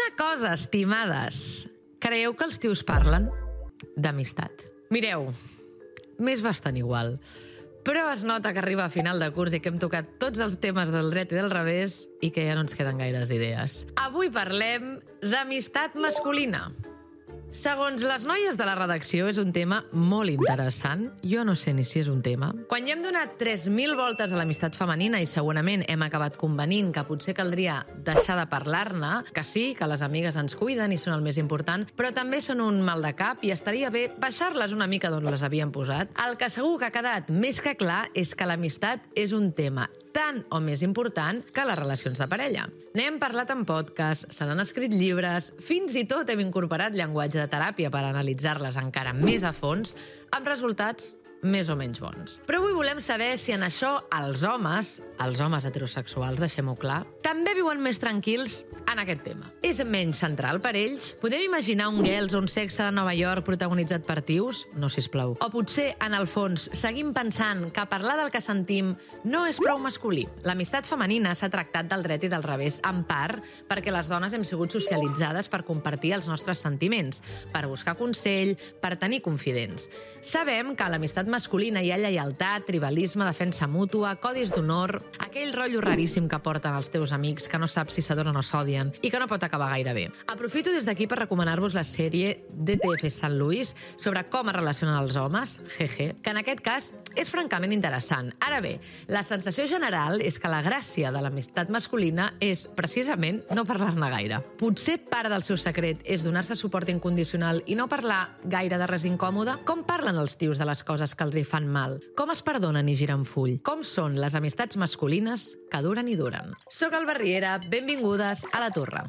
Una cosa, estimades. Creieu que els tios parlen d'amistat? Mireu, m'és bastant igual. Però es nota que arriba a final de curs i que hem tocat tots els temes del dret i del revés i que ja no ens queden gaires idees. Avui parlem d'amistat masculina. Segons les noies de la redacció, és un tema molt interessant. Jo no sé ni si és un tema. Quan ja hem donat 3.000 voltes a l'amistat femenina i segurament hem acabat convenint que potser caldria deixar de parlar-ne, que sí, que les amigues ens cuiden i són el més important, però també són un mal de cap i estaria bé baixar-les una mica d'on les havien posat. El que segur que ha quedat més que clar és que l'amistat és un tema tant o més important que les relacions de parella. N'hem parlat en podcast, se n'han escrit llibres, fins i tot hem incorporat llenguatge de teràpia per analitzar-les encara més a fons, amb resultats més o menys bons. Però avui volem saber si en això els homes heterosexuals, deixem-ho clar, també viuen més tranquils en aquest tema. És menys central per ells? Podem imaginar un Girls o un Sexe de Nova York protagonitzat per tios? No, sisplau. O potser, en el fons, seguim pensant que parlar del que sentim no és prou masculí. L'amistat femenina s'ha tractat del dret i del revés, en part perquè les dones hem sigut socialitzades per compartir els nostres sentiments, per buscar consell, per tenir confidents. Sabem que a l'amistat masculina hi ha lleialtat, tribalisme, defensa mútua, codis d'honor, aquell rotllo raríssim que porten els teus amics que no saps si s'adonen o s'odien i que no pot acabar gaire bé. Aprofito des d'aquí per recomanar-vos la sèrie DTF Sant Louis sobre com es relacionen els homes, jeje, que en aquest cas és francament interessant. Ara bé, la sensació general és que la gràcia de l'amistat masculina és, precisament, no parlar-ne gaire. Potser part del seu secret és donar-se suport incondicional i no parlar gaire de res incòmode? Com parlen els tios de les coses que els hi fan mal? Com es perdonen i giren full? Com són les amistats masculines que duren i duren? Soc Alba Riera, benvingudes a La Torre.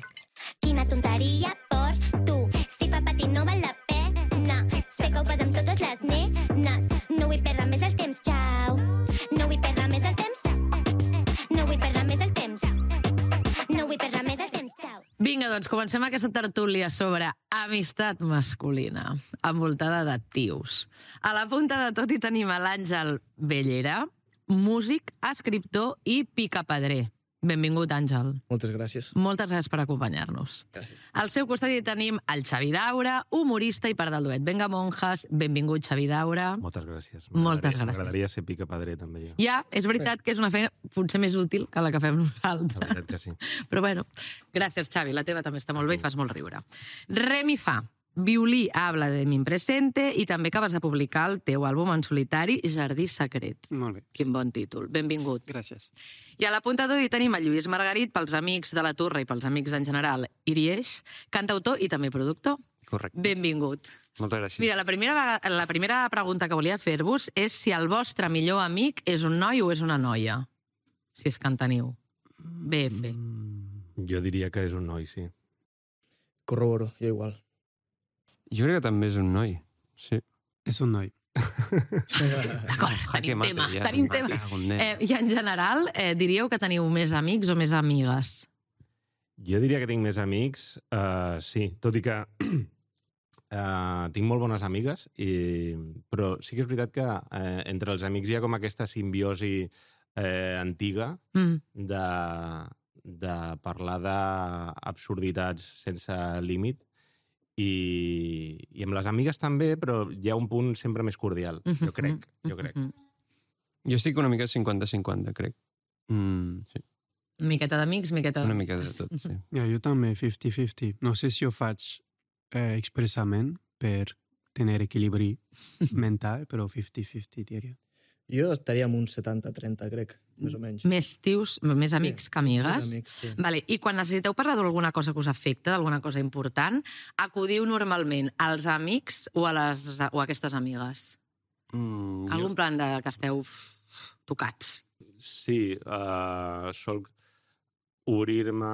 Quina tonteria per tu, si fa patir no val la pena. Sé que ho fas amb totes les nenes. No vull perdre més el temps, xau. No vull perdre més el temps. No vull perdre més el temps. No vull perdre més el temps, xau. Vinga, doncs, comencem aquesta tertúlia sobre amistat masculina, envoltada de tios. A la punta de tot hi tenim a l'Àngel Bellera, músic, escriptor i picapedrer. Benvingut, Àngel. Moltes gràcies. Moltes gràcies per acompanyar-nos. Gràcies. Al seu costat hi tenim el Xavi Daura, humorista i part del duet Venga Monjas. Benvingut, Xavi Daura. Moltes gràcies. Moltes gràcies. M'agradaria ser picapedrer, també, jo. Ja, és veritat que és una feina potser més útil que la que fem La nosaltres. veritat que sí. Però bueno, gràcies, Xavi. La teva també està molt bé i fas molt riure. Remi Fa, violí Habla de mi presente i també acabes de publicar el teu àlbum en solitari Jardí secret. Molt bé. Quin bon títol. Benvingut. Gràcies. I a la punta d'avui tenim el Lluís Margarit, pels amics de La Torre i pels amics en general, Irieix, cantautor i també productor. Correcte. Benvingut. Moltes gràcies. Mira, la primera pregunta que volia fer-vos és si el vostre millor amic és un noi o és una noia. Si és que en teniu. BF. Jo diria que és un noi, sí. Corroboro, jo igual. Jo crec que també és un noi. Sí. És un noi. D'acord, tenim mate, tema. ja. Tenim tema. Cago en nen. I en general, diríeu que teniu més amics o més amigues? Jo diria que tinc més amics, sí, tot i que tinc molt bones amigues, però sí que és veritat que entre els amics hi ha com aquesta simbiosi antiga de parlar d'absurditats sense límit, i amb les amigues també, però hi ha un punt sempre més cordial, jo crec. Jo estic una mica 50-50, crec. Sí. Miqueta d'amics, miqueta... Una mica de tot, sí. Ja, jo també, 50-50. No sé si ho faig expressament per tenir equilibri mental, però 50-50, diria. Jo estaria amb un 70-30, crec, més o menys. Més tios, més amics que amigues. Més amics, sí. Vale. I quan necessiteu parlar d'alguna cosa que us afecta, d'alguna cosa important, acudiu normalment als amics o a aquestes amigues? Algun plan de que esteu tocats? Sí, solc obrir-me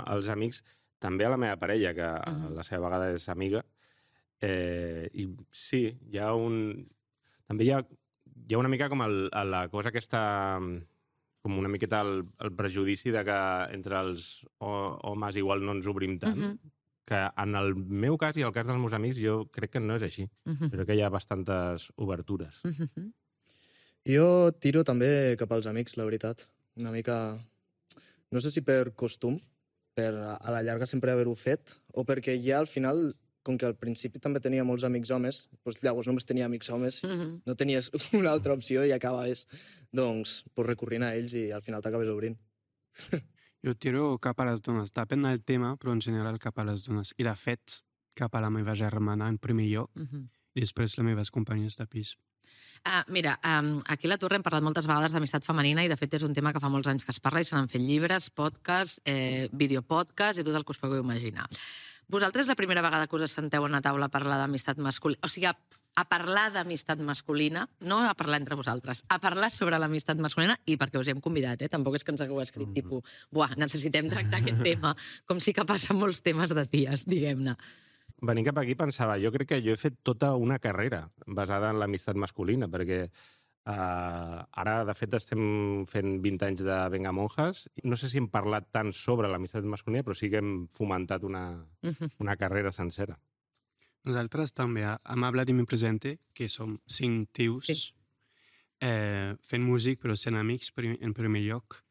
als amics, també a la meva parella, que la seva vegada és amiga, i sí, hi ha un... També hi ha una mica com la cosa aquesta, com una miqueta el prejudici de que entre els homes igual no ens obrim tant, que en el meu cas i el cas dels meus amics jo crec que no és així. Crec que hi ha bastantes obertures. Jo tiro també cap als amics, la veritat. Una mica... No sé si per costum, per a la llarga sempre haver-ho fet, o perquè ja al final, com que al principi també tenia molts amics homes, doncs llavors només tenia amics homes, no tenies una altra opció i acabaves doncs, recorrint a ells i al final t'acabes obrint. Jo tiro cap a les dones. Depèn del tema, però en general cap a les dones. I de fet, cap a la meva germana en primer lloc i després les meves companyes de pis. Mira, aquí a la Torre hem parlat moltes vegades d'amistat femenina i de fet és un tema que fa molts anys que es parla i se n'han fet llibres, podcasts, videopodcasts i tot el que us pugueu imaginar. Vosaltres la primera vegada que us assenteu a una taula a parlar d'amistat masculina, o sigui, a parlar d'amistat masculina, no a parlar entre vosaltres, a parlar sobre l'amistat masculina, i perquè us hi hem convidat, tampoc és que ens hagueu escrit tipus, necessitem tractar aquest tema, com sí que passen molts temes de ties, diguem-ne. Venint cap aquí pensava, jo crec que jo he fet tota una carrera basada en l'amistat masculina, perquè ara, de fet, estem fent 20 anys de Venga Monjas. No sé si hem parlat tant sobre l'amistat masculina, però sí que hem fomentat una carrera sencera. Nosaltres també, amb Habla de mi presente, que som 5 tios fent músic, però sent amics en primer lloc.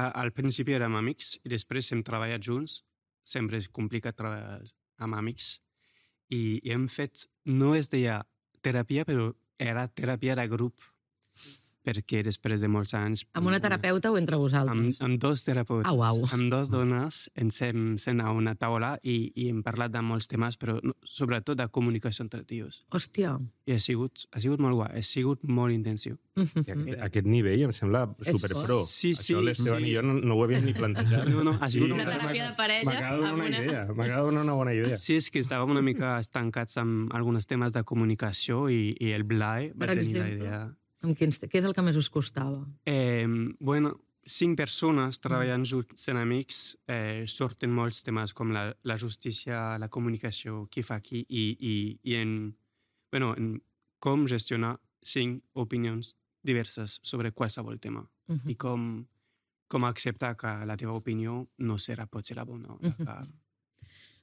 Al principi érem amics i després hem treballat junts. Sempre és complicat treballar amb amics. I hem fet, no es deia teràpia, però era teràpia de grup, perquè després de molts anys... Amb una terapeuta o entre vosaltres? Amb 2 terapeutes. Au. Amb 2 dones ens hem sent a una taula i hem parlat de molts temes, però sobretot de comunicació entre tios. Hòstia. I ha sigut molt guai, ha sigut molt intensiu. Aquest nivell em sembla superpro. Sí. Això l'Esteban i jo no ho havíem ni plantejat. No, ha sigut una teràpia de parella. M'acaba de donar una bona idea. Sí, és que estàvem una mica estancats amb alguns temes de comunicació i el Blai va tenir la idea. Què és el que més us costava? 5 persones treballant junts sent amics, sorten molts temes com la justícia, la comunicació, qui fa qui, i en com gestionar 5 opinions diverses sobre qualsevol tema. I com acceptar que la teva opinió no pot ser la bona.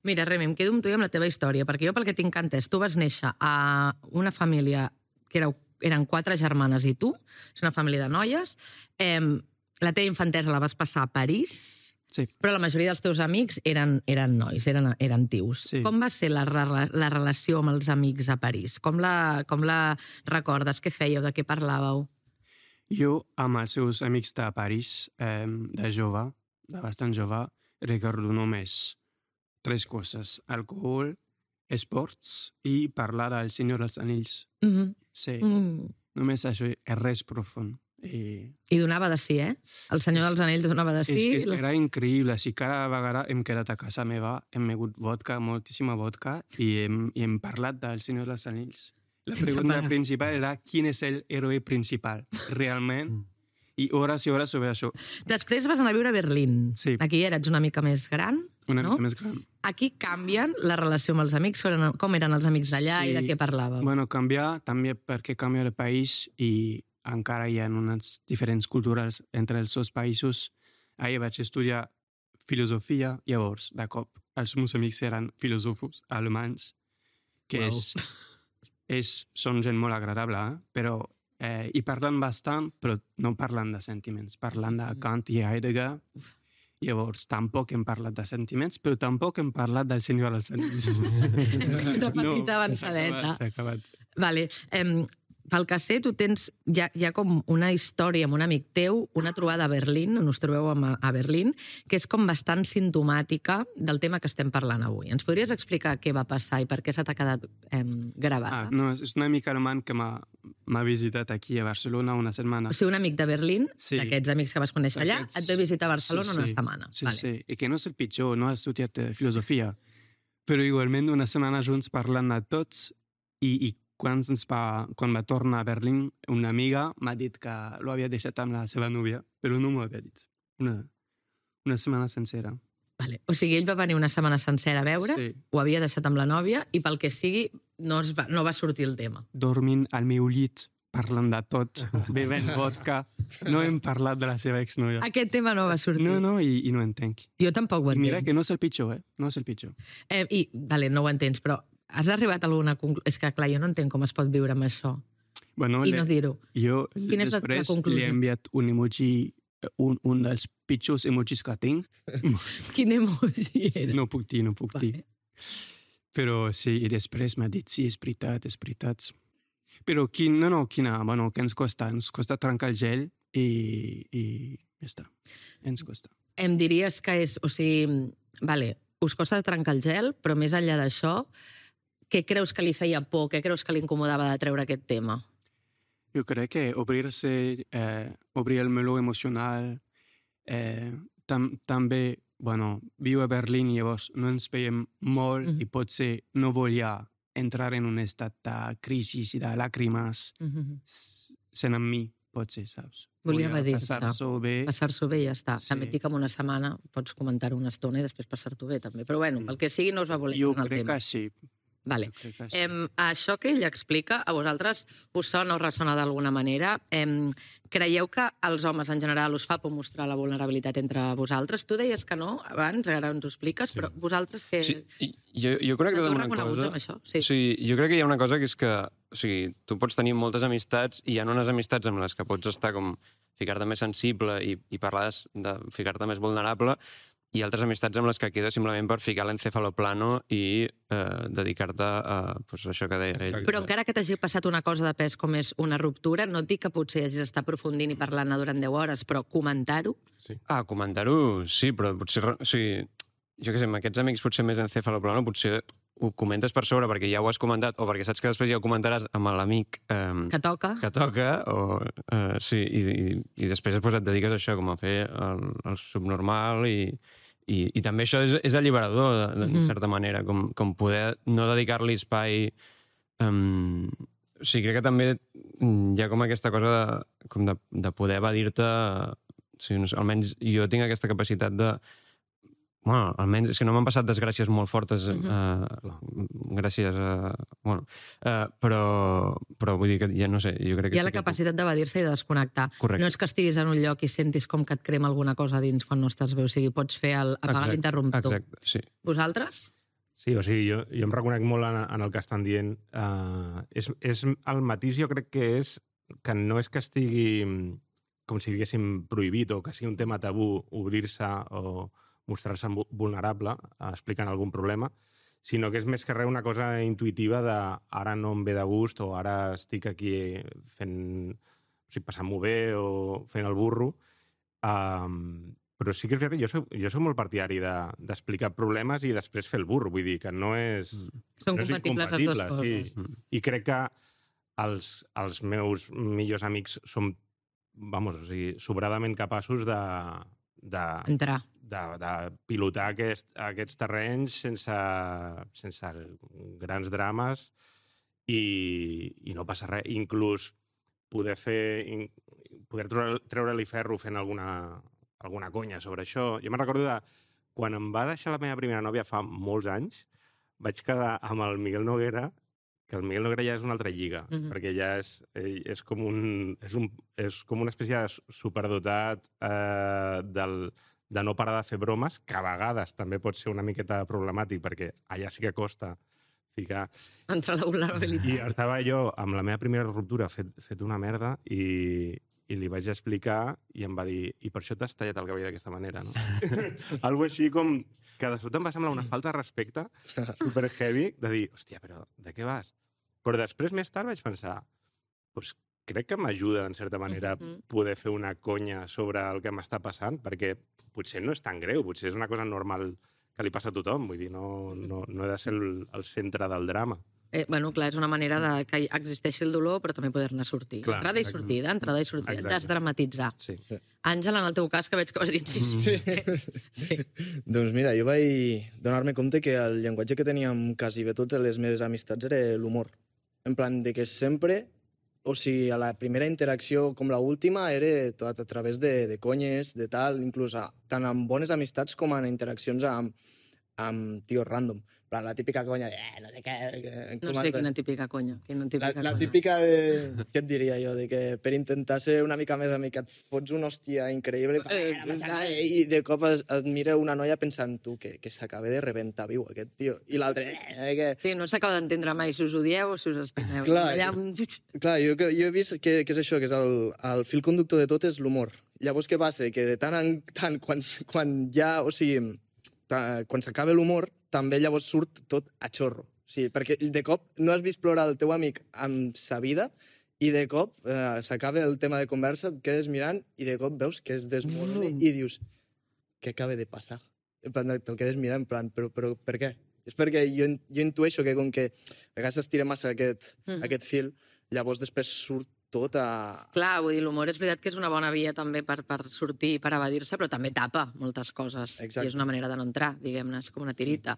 Mira, Remi, em quedo amb tu i amb la teva història, perquè jo pel que tinc entès, tu vas néixer a una família que eren 4 germanes i tu, és una família de noies. La teva infantesa la vas passar a París, sí. Però la majoria dels teus amics eren nois, eren tios. Sí. Com va ser la relació amb els amics a París? Com la recordes? Què fèieu? De què parlàveu? Jo, amb els seus amics de París, de jove, de bastant jove, recordo només 3 coses. Alcohol, esports i parlar del Senyor dels Anells. Sí, només això és res profund. I donava de sí, El Senyor dels Anells donava de sí. És que era increïble. Si cada vegada hem quedat a casa meva, hem begut vodka, moltíssima vodka, i hem parlat del Senyor dels Anells. La pregunta principal era quin és l'heroi principal, realment, i hores sobre això. Després vas anar a viure a Berlín. Sí. Aquí ets una mica més gran, Una mica més gran. Aquí canvien la relació amb els amics? Com eren els amics d'allà i de què parlàveu? Bueno, canviar també perquè canvia el país i encara hi ha unes diferents cultures entre els 2 països. Ahir vaig estudiar filosofia, llavors, de cop, els meus amics eren filòsofos alemanys, que són gent molt agradable, però hi parlen bastant, però no parlen de sentiments. Parlen de Kant i Heidegger. Llavors, tampoc hem parlat de sentiments, però tampoc hem parlat del Senyor dels Anells. Una petita avançadeta. S'ha acabat. Vale. Pel que sé, tu tens ja com una història amb un amic teu, una trobada a Berlín, on us trobeu a Berlín, que és com bastant simptomàtica del tema que estem parlant avui. Ens podries explicar què va passar i per què s'ha quedat gravada? No, és un amic alemany que m'ha visitat aquí a Barcelona una setmana. O sigui, un amic de Berlín, sí. D'aquests amics que vas conèixer allà, et ve visitar a Barcelona una setmana. Sí, vale. Sí, i que no és el pitjor, no ha estudiat filosofia, però igualment una setmana junts parlant de tots i quan va tornar a Berlín, una amiga m'ha dit que lo havia deixat amb la seva núvia, però no m'ho havia dit. Una setmana sencera. Vale. O sigui, ell va venir una setmana sencera a veure, ho havia deixat amb la nòvia i pel que sigui no va sortir el tema. Dormint al meu llit, parlant de tot, bevent vodka, no hem parlat de la seva exnòvia. Aquest tema no va sortir. No, i no entenc. Jo tampoc ho entenc. Mira que no és el pitjor, no és el pitjor. Vale, no ho entens, però has arribat a alguna conclusió? És que, clar, jo no entenc com es pot viure amb això. Bueno, I no dir-ho. Jo després li he enviat un emoji un dels pitjors emojis que tinc. Quin emoji era? No puc dir. Però sí, i després m'ha dit, sí, és veritat. Però que ens costa trencar el gel i ja està. Ens costa. Em diries que és, o sigui, vale, us costa trencar el gel, però més enllà d'això, què creus que li feia por, què creus que li incomodava de treure aquest tema? Jo crec que obrir el meló emocional, també, viu a Berlín i llavors no ens veiem molt i potser no volia entrar en un estat de crisi i de làgrimes sent amb mi, potser, saps? Volia evadir-se. Passar-s'ho bé. Passar-s'ho bé i ja està. Sí. També et dic que en una setmana pots comentar-ho una estona i després passar-t'ho bé, també. Però bueno, el que sigui no us va voler Jo en el crec tema. que sí. Vale. Jo crec que sí. Això que ell explica, a vosaltres us sona o ressona d'alguna manera? Creieu que als homes en general us fa por mostrar la vulnerabilitat entre vosaltres? Tu deies que no abans, ara ens ho expliques, però vosaltres que... Sí, jo crec que Sentiu una reconeguts cosa... amb això? Sí. Sí, jo crec que hi ha una cosa que és que, o sigui, tu pots tenir moltes amistats i hi ha unes amistats amb les que pots estar com ficar-te més sensible i parlar de ficar-te més vulnerable, i altres amistats amb les que queda simplement per ficar l'encefaloplano i dedicar-te a això que deia ell. Però encara que t'hagi passat una cosa de pes com és una ruptura, no et dic que potser hagis d'estar aprofundint i parlant-ne durant 10 hores, però comentar-ho? Sí. Comentar-ho, sí, però potser... O sigui, jo què sé, amb aquests amics potser més encefaloplano, potser ho comentes per sobre perquè ja ho has comentat o perquè saps que després ja ho comentaràs amb l'amic Que toca? o, sí, i després et dediques a això, com a fer el subnormal i també això és alliberador, de certa manera, com poder no dedicar-li espai. O sigui, crec que també hi ha com aquesta cosa de poder evadir-te. O sigui, no sé, almenys jo tinc aquesta capacitat de... Bueno, almenys és que no m'han passat desgràcies molt fortes gràcies a... Però vull dir que ja no sé, jo crec que... Hi ha la capacitat d'evadir-se i de desconnectar. Correcte. No és que estiguis en un lloc i sentis com que et crema alguna cosa dins quan no estàs bé, o sigui, pots fer apagar l'interruptor. Exacte, sí. Vosaltres? Sí, o sigui, jo em reconec molt en el que estan dient. És el matís, jo crec que és que no és que estigui com si diguéssim prohibit o que sigui un tema tabú obrir-se o mostrar-se vulnerable explicant algun problema, sinó que és més que res una cosa intuïtiva de ara no em ve de gust o ara estic aquí fent... O sigui, passant-m'ho bé o fent el burro. Però sí que és veritat que jo soc molt partidari d'explicar problemes i després fer el burro. Vull dir que no és... Són no és compatibles les dues coses. sí. I crec que els meus millors amics són, o sigui, sobradament capaços Entrar. de pilotar aquests terrenys sense grans drames i no passa res. Inclús poder treure-li ferro fent alguna conya sobre això. Jo me'n recordo de quan em va deixar la meva primera nòvia fa molts anys, vaig quedar amb el Miguel Noguera, que el Miguel Noguera ja és una altra lliga, perquè ja és com una espècie de superdotat de no parar de fer bromes, que a vegades també pot ser una miqueta problemàtic, perquè allà sí que costa ficar... Entrar la vulnerabilitat. I estava jo amb la meva primera ruptura fet una merda i li vaig explicar i em va dir i per això t'has tallat el cabell d'aquesta manera, no? Algo així com que de sobte em va semblar una falta de respecte super heavy de dir, hòstia, però de què vas? Però després, més tard, vaig pensar doncs crec que m'ajuda, en certa manera, poder fer una conya sobre el que m'està passant, perquè potser no és tan greu, potser és una cosa normal que li passa a tothom, vull dir, no he de ser el centre del drama. Bueno, clar, és una manera de que existeixi el dolor, però també poder-ne sortir. Clar, entrada i sortida, entrada i sortida. Desdramatitzar. Sí. Àngela, en el teu cas, que veig que vas dir sí. Sí. Doncs mira, jo vaig donar-me compte que el llenguatge que teníem quasi bé totes les meves amistats era l'humor. En plan, de que sempre, o sigui, a la primera interacció com l'última, era tot a través de conyes, de tal, inclús tant amb bones amistats com en interaccions amb tios random. La típica conya de, no sé què... No sé quina típica conya. La típica de... Què et diria jo? De que per intentar ser una mica més amic et fots una hòstia increïble i de cop et mira una noia pensant tu que s'acaba de rebentar viu aquest tio. I l'altre... Sí, no s'acaba d'entendre mai si us odieu o si us estimeu. Clar, jo he vist que és això, que és el fil conductor de tot és l'humor. Llavors, què passa? Que de tant en tant, quan ja... O sigui, quan s'acaba l'humor, també llavors surt tot a xorro. O sigui, perquè de cop no has vist plorar el teu amic amb sa vida i de cop s'acaba el tema de conversa, et quedes mirant i de cop veus que es desmorona i dius, què acaba de passar? En plan, te'l quedes mirant, en plan, però per què? És perquè jo intueixo que com que a vegades s'estira massa aquest fil, llavors després surt tot a... Clar, vull dir, l'humor és veritat que és una bona via també per sortir i per evadir-se, però també tapa moltes coses. Exacte. I és una manera de no entrar, diguem-ne, és com una tirita.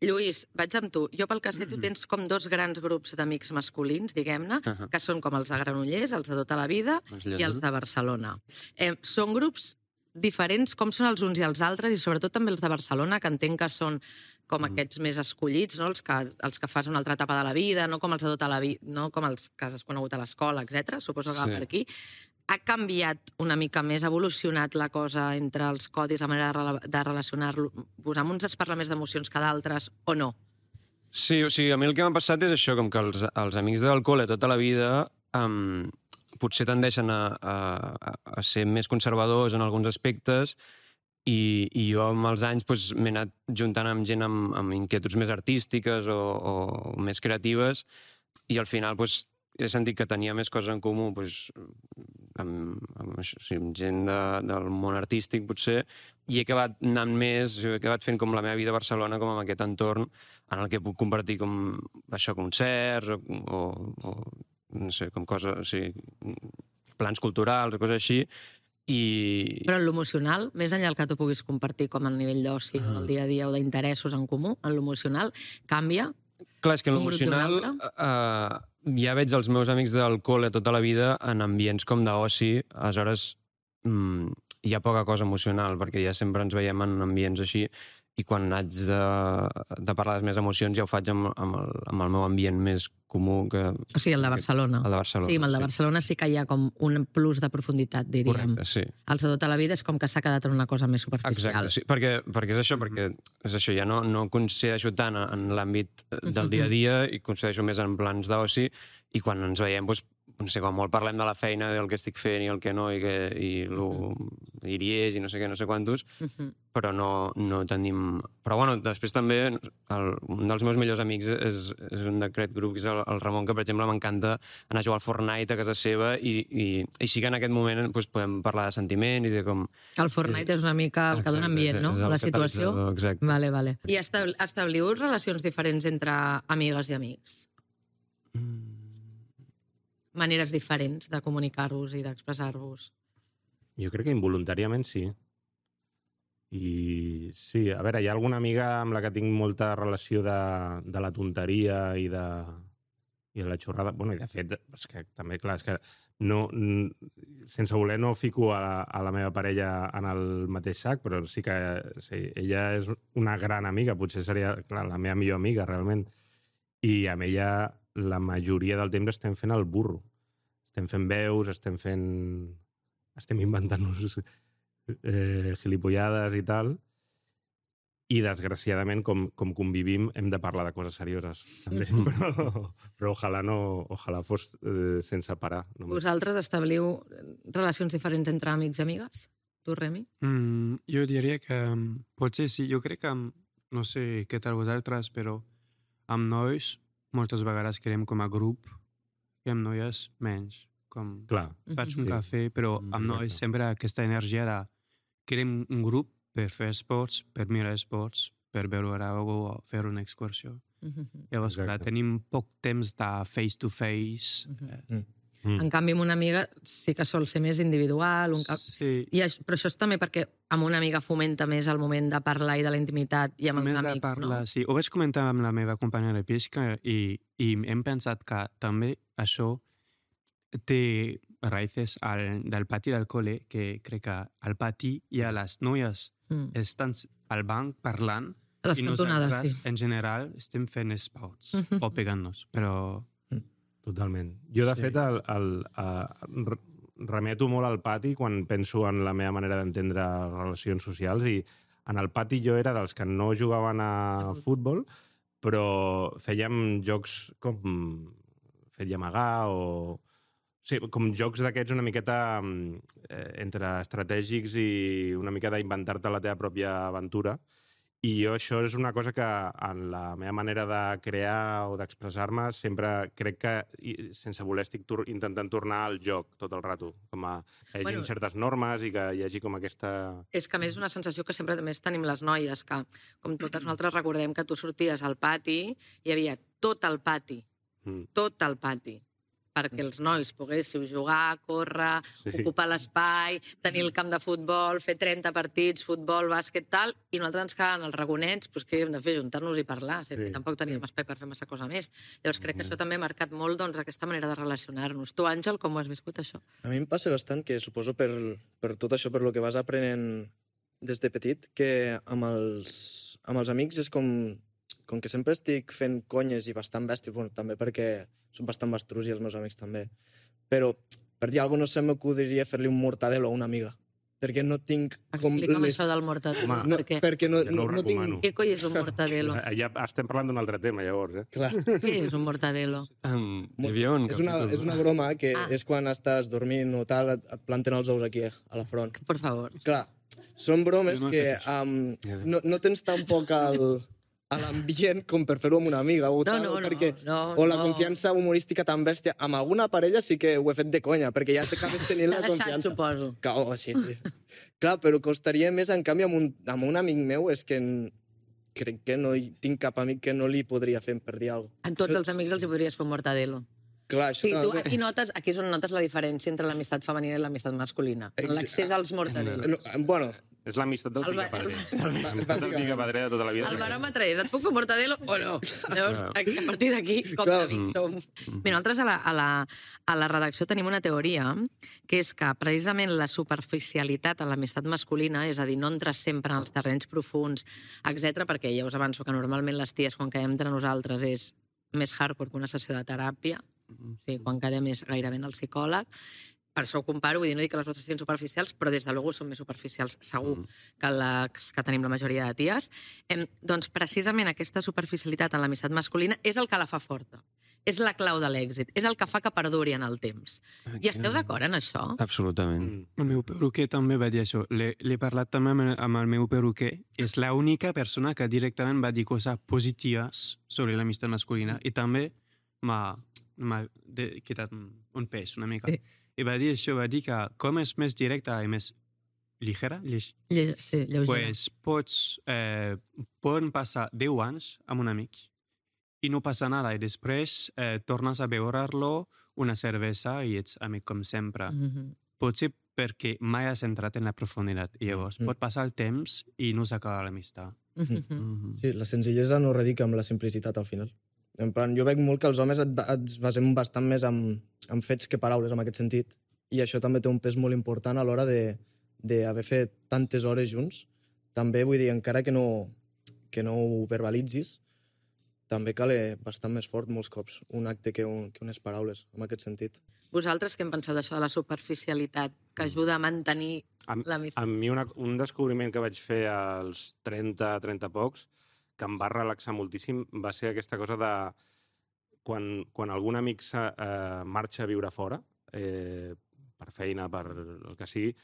Lluís, vaig amb tu. Jo pel que sé, tu tens com 2 grans grups d'amics masculins, diguem-ne, que són com els de Granollers, els de tota la vida, i els de Barcelona. Són grups diferents, com són els uns i els altres, i sobretot també els de Barcelona, que entenc que són com aquests més escollits, no? els que fas una altra etapa de la vida, no com els de tota la vida, no com els que has conegut a l'escola, etc. Suposo que va per aquí. Ha canviat una mica més, ha evolucionat la cosa entre els codis, la manera de relacionar-vos? Amb uns es parla més d'emocions que d'altres, o no? Sí, o sigui, a mi el que m'ha passat és això, com que els amics del col·le tota la vida potser tendeixen a ser més conservadors en alguns aspectes i jo amb els anys m'he anat juntant amb gent amb inquietuds més artístiques o més creatives i al final he sentit que tenia més coses en comú amb gent del món artístic, potser, i he acabat anant més, he acabat fent com la meva vida a Barcelona, com en aquest entorn en el que puc compartir com això, concerts o no sé, com coses, o sigui, plans culturals o coses així. Però en l'emocional, més enllà del que tu puguis compartir com a nivell d'oci, del dia a dia o d'interessos en comú, en l'emocional canvia? Clar, és que en l'emocional ja veig els meus amics del col·le tota la vida en ambients com d'oci, aleshores hi ha poca cosa emocional, perquè ja sempre ens veiem en ambients així, i quan haig de parlar de les meves emocions ja ho faig amb el meu ambient més comú. O sigui, el de Barcelona. El de Barcelona, sí. Amb el de Barcelona sí que hi ha com un plus de profunditat, diríem. Correcte, sí. Els de tota la vida és com que s'ha quedat en una cosa més superficial. Exacte, sí, perquè és això, ja no coincideixo tant en l'àmbit del dia a dia i coincideixo més en plans d'oci i quan ens veiem, no sé, quan molt parlem de la feina, del que estic fent i el que no, i iries i no sé què, no sé quantos, però no tenim... Però bueno, després també un dels meus millors amics és un d'aquest grup, que és el Ramon, que per exemple m'encanta anar a jugar al Fortnite a casa seva i sí que en aquest moment podem parlar de sentiment i de com... El Fortnite és una mica el que dona ambient, no? La situació. Exacte. Vale. I establiu relacions diferents entre amigues i amics? Maneres diferents de comunicar-vos i d'expressar-vos? Jo crec que involuntàriament sí. I sí, a veure, hi ha alguna amiga amb la que tinc molta relació de la tonteria i de la xorrada. Bueno, i de fet, és que també, clar, és que sense voler no fico a la meva parella en el mateix sac, però sí que ella és una gran amiga, potser seria, clar, la meva millor amiga, realment. I amb ella la majoria del temps estem fent el burro. Estem fent veus, estem inventant-nos gilipollades i tal. I, desgraciadament, com convivim, hem de parlar de coses serioses, també. Però ojalà fos sense parar. Vosaltres establiu relacions diferents entre amics i amigues? Tu, Remi? Jo diria que potser sí. Jo crec que, no sé què tal vosaltres, però amb nois moltes vegades quedem com a grup i amb noies menys. Com faig un cafè, però amb nois sempre aquesta energia de querem un grup per fer esports, per mirar esports, per veure alguna o fer una excursió. Llavors, clar, tenim poc temps de face-to-face. En canvi, amb una amiga sí que sol ser més individual. Sí. Però això és també perquè amb una amiga fomenta més el moment de parlar i de la intimitat i amb els amics, de parlar, no? Sí. Ho vaig comentar amb la meva companya de pesca i hem pensat que també això té raïces del pati del col·le, que crec que al pati hi ha les noies estan al banc parlant i nosaltres, en general, estem fent spouts o pegant-nos, però... Totalment. Jo, de fet, remeto molt al pati quan penso en la meva manera d'entendre relacions socials i en el pati jo era dels que no jugaven a futbol, però fèiem jocs com fet i amagar o Sí, com jocs d'aquests una miqueta entre estratègics i una mica d'inventar-te la teva pròpia aventura. I jo això és una cosa que en la meva manera de crear o d'expressar-me sempre crec que, sense voler, estic intentant tornar al joc tot el rato. Com a hi hagi certes normes i que hi hagi com aquesta... És que a més és una sensació que sempre també tenim les noies, que com totes nosaltres recordem que tu sorties al pati, hi havia tot el pati, perquè els nois poguéssiu jugar, córrer, ocupar l'espai, tenir el camp de futbol, fer 30 partits, futbol, bàsquet, tal, i nosaltres ens quedàvem els ragonets, doncs què hem de fer? Juntar-nos i parlar. Tampoc teníem espai per fer massa cosa més. Llavors crec que això també ha marcat molt aquesta manera de relacionar-nos. Tu, Àngel, com ho has viscut, això? A mi em passa bastant que, suposo, per tot això, per lo que vas aprenent des de petit, que amb els amics és com que sempre estic fent conyes i bastant bèsties, bueno, també perquè són bastant bastrus i els meus amics també, però per dir alguna cosa no se m'acudiria fer-li un mortadelo a una amiga, perquè no tinc... Explica'm això del mortadelo. No, perquè no tinc... Què coi és un mortadelo? Ja estem parlant d'un altre tema, llavors, Clar. Què és un mortadelo? Hi havia un capítol. És una broma que és quan estàs dormint o tal, et planten els ous aquí, a la front. Per favor. Clar, són bromes que no tens tampoc a l'ambient com per fer-ho amb una amiga o tal, o la confiança humorística tan bèstia. Amb alguna parella sí que ho he fet de conya, perquè ja t'acabes tenint la confiança. Suposo. Sí. Clar, però costaria més, en canvi, amb un amic meu, és que crec que no tinc cap amic que no li podria fer per dir alguna cosa. A tots els amics els hi podries fer un mortadelo. Clar, sí, tu aquí és on notes la diferència entre l'amistat femenina i l'amistat masculina. L'accés als mortadelos. Bueno... És l'amistat del picapadrer. L'amistat del picapadrer de tota la vida. El baròmetre és, et puc fer mortadelo o no? Llavors, a partir d'aquí, com d'amics som. Bé, nosaltres a la redacció tenim una teoria, que és que precisament la superficialitat en l'amistat masculina, és a dir, no entres sempre en els terrenys profuns, etc, perquè ja us avanço que normalment les ties, quan quedem entre nosaltres, és més hardcore que una sessió de teràpia. Quan quedem és gairebé en el psicòleg. Per això ho comparo, vull dir, no dic que les vostres siguin superficials, però des de luego són més superficials, segur, que les que tenim la majoria de ties. Doncs precisament aquesta superficialitat en l'amistat masculina és el que la fa forta. És la clau de l'èxit. És el que fa que perduri en el temps. I esteu d'acord en això? Absolutament. El meu perruquer també va dir això. L'he parlat també amb el meu perruquer. És l'única persona que directament va dir coses positives sobre l'amistat masculina. I també m'ha quedat un pes una mica. I va dir això, va dir que com és més directa i més ligera, poden passar 10 anys amb un amic i no passa nada. I després tornes a veure-lo una cervesa i ets amic com sempre. Potser perquè mai has entrat en la profunditat. I llavors pot passar el temps i no s'acaba l'amistat. Sí, la senzillesa no radica amb la simplicitat al final. En plan, jo veig molt que els homes ens basem bastant més en fets que paraules, en aquest sentit. I això també té un pes molt important a l'hora d'haver fet tantes hores junts. També, vull dir, encara que no ho verbalitzis, també cal bastant més fort molts cops un acte que unes paraules, en aquest sentit. Vosaltres què en penseu d'això de la superficialitat que ajuda a mantenir l'amistat? A mi un descobriment que vaig fer als 30 pocs, que em va relaxar moltíssim, va ser aquesta cosa de quan algun amic marxa a viure fora, per feina, per el que sigui,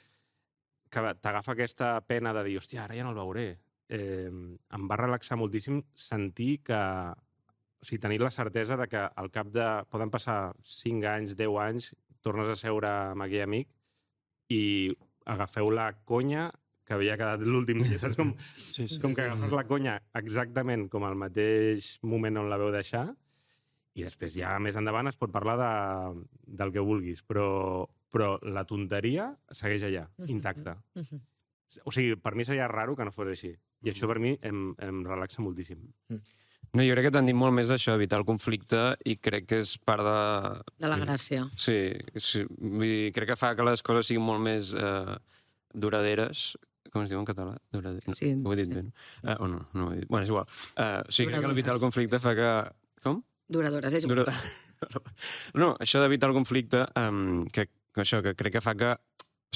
que t'agafa aquesta pena de dir, hòstia, ara ja no el veuré. Em va relaxar moltíssim sentir que... O sigui, tenir la certesa de que al cap de... Poden passar 5 anys, 10 anys, tornes a seure amb aquell amic i agafeu la conya que havia quedat l'últim dia, saps? Com que agafes la conya exactament com al mateix moment on la veu deixar i després ja més endavant es pot parlar del que vulguis, però la tonteria segueix allà, intacta. O sigui, per mi seria raro que no fos així. I això per mi em relaxa moltíssim. No, jo crec que t'han dit molt més d'això, evitar el conflicte, i crec que és part de... De la gràcia. Sí. Vull dir, crec que fa que les coses siguin molt més duraderes. Com es diu en català? Sí. Ho he dit bé, no? O no ho he dit. Bueno, és igual. Sí, crec que evitar el conflicte fa que... Com? Duradores, és igual. No, això d'evitar el conflicte, que crec que fa que...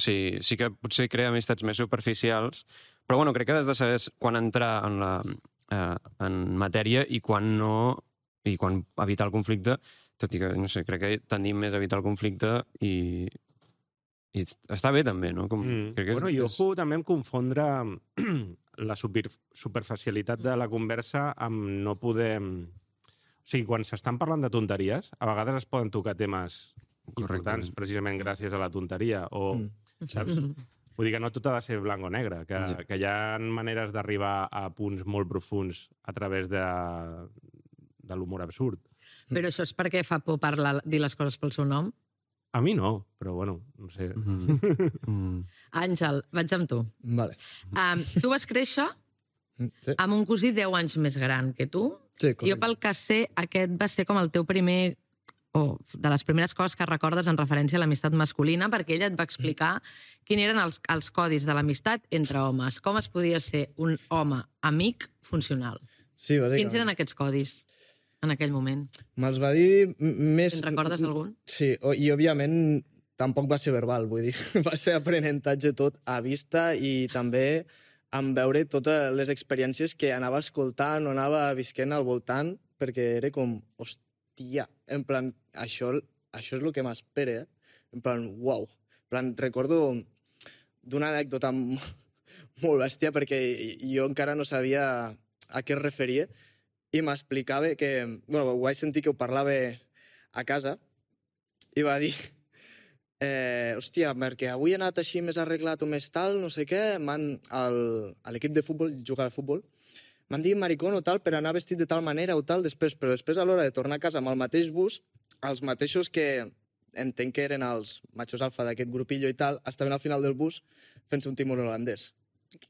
Sí que potser crea amistats més superficials, però bueno, crec que has de saber quan entrar en matèria i quan no, i quan evitar el conflicte tot i que, no sé, crec que tendim més a evitar el conflicte i està bé també, no? Crec que i ojo també amb confondre la superficialitat de la conversa amb no poder... O sigui, quan s'estan parlant de tonteries, a vegades es poden tocar temes importants precisament gràcies a la tonteria, o, saps? Vull dir que no tot ha de ser blanc o negre, que hi ha maneres d'arribar a punts molt profuns a través de l'humor absurd. Però això és perquè fa por dir les coses pel seu nom? A mi no, però bueno, no sé. Àngel, vaig amb tu. Vale. Tu vas créixer amb un cosí 10 anys més gran que tu. Sí, correcte. Jo, pel que sé, aquest va ser com el teu primer... de les primeres coses que recordes en referència a l'amistat masculina, perquè ella et va explicar quins eren els codis de l'amistat entre homes. Com es podia ser un home amic funcional? Sí, bàsicament. Quins eren aquests codis en aquell moment? Me'ls va dir més... En recordes algun? Sí, i òbviament tampoc va ser verbal, vull dir. Va ser aprenentatge tot a vista i també en veure totes les experiències que anava escoltant o anava visquent al voltant, perquè era com, hòstia, en plan, això és el que m'espera, en plan, uau. En plan, recordo d'una anècdota molt bèstia, perquè jo encara no sabia a què es referia, i m'explicava que... Bueno, ho vaig sentir que ho parlava a casa, i va dir... hòstia, perquè avui he anat així més arreglat o més tal, no sé què, a l'equip de futbol, jugava a futbol, m'han dit maricón o tal per anar vestit de tal manera o tal després, però després a l'hora de tornar a casa amb el mateix bus, els mateixos que entenc que eren els machos alfa d'aquest grupillo i tal, estaven al final del bus fent-se un timón holandès.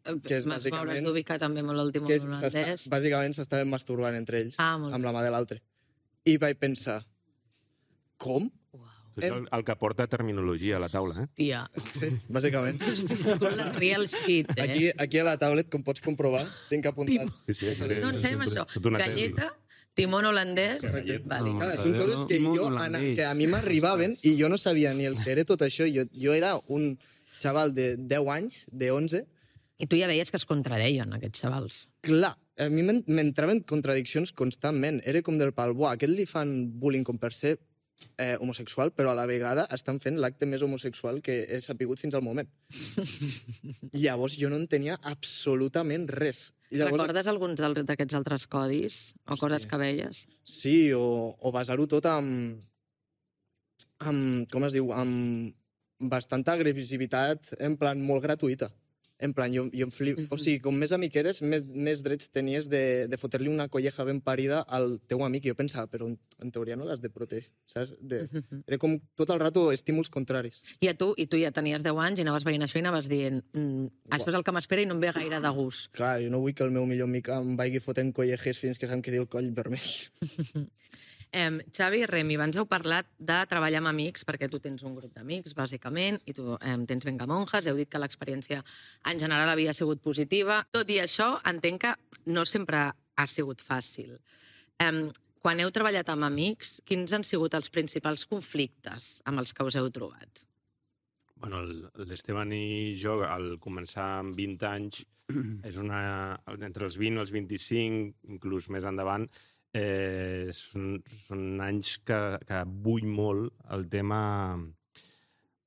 M'hauràs d'ubicar també molt el timón holandès. Bàsicament s'estaven masturbant entre ells, amb la mà de l'altre. I vaig pensar, com? Tu ets el que porta terminologia a la taula, eh? Tia. Sí, bàsicament. La real shit, eh? Aquí a la tablet, com pots comprovar, tinc apuntat. No, ensenya'm això. Galleta, timón holandès... Són coses que a mi m'arribaven i jo no sabia ni el que era tot això. Jo era un xaval de 10 anys, de 11... I tu ja veies que es contradeien, aquests xavals. Clar, a mi m'entraven contradiccions constantment. Era com del pal, buah, aquest li fan bullying com per ser homosexual, però a la vegada estan fent l'acte més homosexual que he sapigut fins al moment. Llavors jo no en tenia absolutament res. Recordes alguns d'aquests altres codis o coses que veies? Sí, o basar-ho tot amb com es diu, amb bastanta agressivitat, en plan molt gratuïta. En plan, jo em flip... O sigui, com més amic eres, més drets tenies de fotre-li una colleja ben parida al teu amic. I jo pensava, però en teoria no l'has de protegir, saps? Era com tot el rato estímuls contraris. I tu ja tenies 10 anys i anaves veient això i anaves dient això és el que m'espera i no em ve gaire de gust. Clar, jo no vull que el meu millor amic em vagi fotent collejes fins que se'm quedi el coll vermell. Xavi i Remi, abans heu parlat de treballar amb amics, perquè tu tens un grup d'amics, bàsicament, i tu tens Vengamonjas, heu dit que l'experiència en general havia sigut positiva. Tot i això, entenc que no sempre ha sigut fàcil. Quan heu treballat amb amics, quins han sigut els principals conflictes amb els que us heu trobat? Bueno, l'Esteban i jo, al començar amb 20 anys, és entre els 20 i els 25, inclús més endavant, són anys que vull molt el tema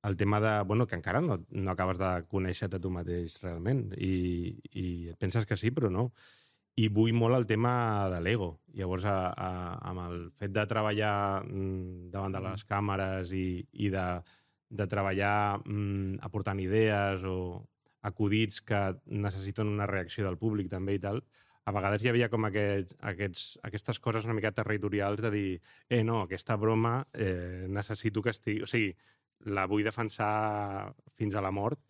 de, bueno, que encara no acabes de conèixer-te tu mateix realment i et penses que sí, però no. I vull molt el tema de l'ego. Llavors, amb el fet de treballar davant de les càmeres i de treballar aportant idees o acudits que necessiten una reacció del públic també i tal, a vegades hi havia com aquestes coses una mica territorials de dir no, aquesta broma necessito que estigui... O sigui, la vull defensar fins a la mort.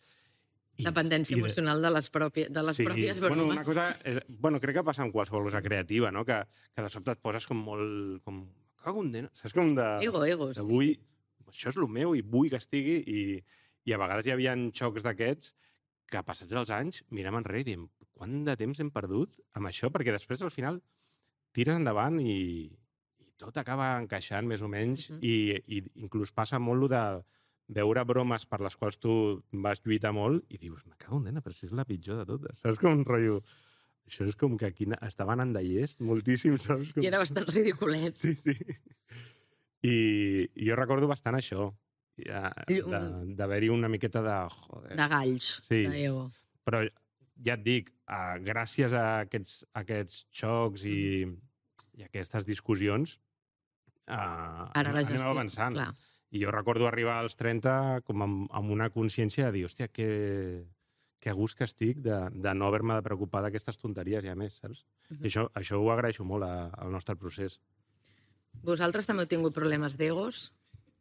Dependència emocional de les pròpies bromes. Bueno, una cosa... crec que passa amb qualsevol cosa creativa, no? Que de sobte et poses com molt... Cago en Déu, saps? Com de... Ego. Això és el meu i vull que estigui i a vegades hi havia xocs d'aquests que passats els anys mirem enrere i diem quant de temps hem perdut amb això? Perquè després, al final, tires endavant i tot acaba encaixant, més o menys, i inclús passa molt de veure bromes per les quals tu vas lluitar molt i dius, me cago en nena, però si és la pitjor de totes. Saps com un rotllo? Això és com que aquí estaven en de llest moltíssim, saps? I era bastant ridiculet. Sí. I jo recordo bastant això, d'haver-hi una miqueta de... Joder. De galls, Sí. d'ego. Però ja et dic, gràcies a aquests xocs i aquestes discussions, Ara la anem gestió, avançant. clar. I jo recordo arribar als 30 com amb una consciència de dir, hòstia, que a gust que estic de no haver-me de preocupar d'aquestes tonteries ja més, saps? I això ho agraeixo molt al nostre procés. Vosaltres també heu tingut problemes d'egos?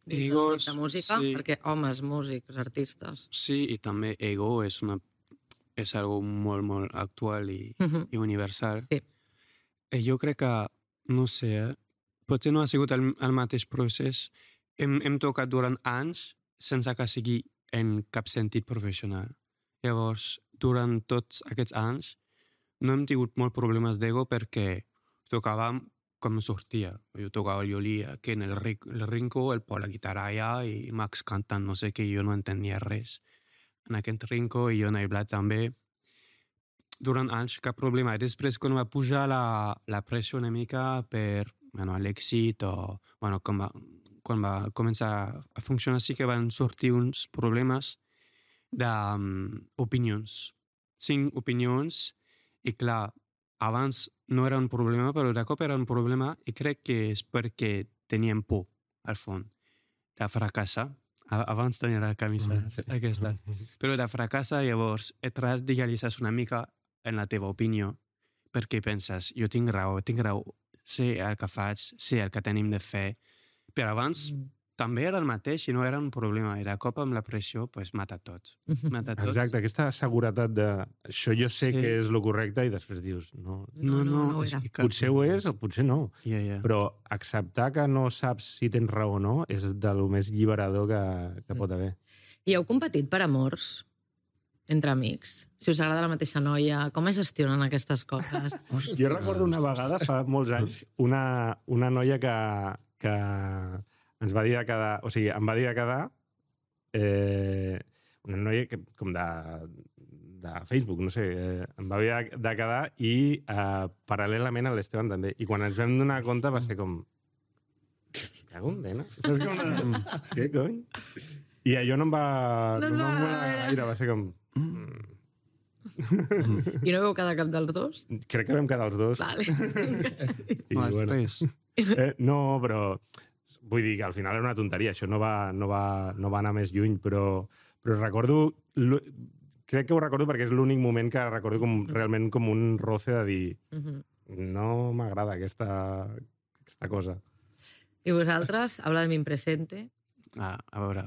Egos, De música? sí. Perquè homes, músics, artistes... Sí, i també ego és algo molt, molt actual i universal. Sí. Jo crec que, no sé, potser no ha sigut el mateix procés. Hem tocat durant anys sense que sigui en cap sentit professional. Llavors, durant tots aquests anys no hem tingut molts problemes d'ego perquè tocàvem com sortia. Jo tocava el violí aquí en el rinco, el Pol la guitarra allà i Max cantant no sé què, jo no entenia res. En aquest rinco i jo en el Blat també. Durant anys, cap problema. I després, quan va pujar la pressió una mica per l'èxit o quan va començar a funcionar, sí que van sortir uns problemes d'opinions. 5 opinions i clar, abans no era un problema, però de cop era un problema i crec que és perquè teníem por, al fons, de fracassar. Abans tenia la camisa aquesta. Però de fracassar, llavors, et radicalitzes una mica en la teva opinió perquè penses, jo tinc raó, sé el que faig, sé el que tenim de fer. Però abans també era el mateix i no era un problema. I de cop amb la pressió, pues, mata tot. Mata tot. Exacte, aquesta seguretat de això jo sé Sí. que és el correcte i després dius, no, No ho és era. que potser ho és o potser no. Ja. Però acceptar que no saps si tens raó o no és de lo més alliberador que pot haver. I heu competit per amors entre amics? Si us agrada la mateixa noia, com es gestionen aquestes coses? Jo recordo una vegada, fa molts anys, una noia que ens va dir de quedar... O sigui, em va dir de quedar una noia que, com de Facebook, no sé, em va dir de quedar i paral·lelament a l'Esteban també. I quan ens vam donar compte va ser com... Cago en nena. Saps com què cony? I allò no em va... No et va agradar, gaire, va ser com... I no veu quedar cap dels dos? Crec que vam quedar els dos. Vale. I, Els tres. no, però vull dir que al final era una tonteria, això no va anar més lluny, però recordo, crec que ho recordo perquè és l'únic moment que recordo realment com un roce de dir no m'agrada aquesta cosa. I vosaltres, habla de mi presente. A veure,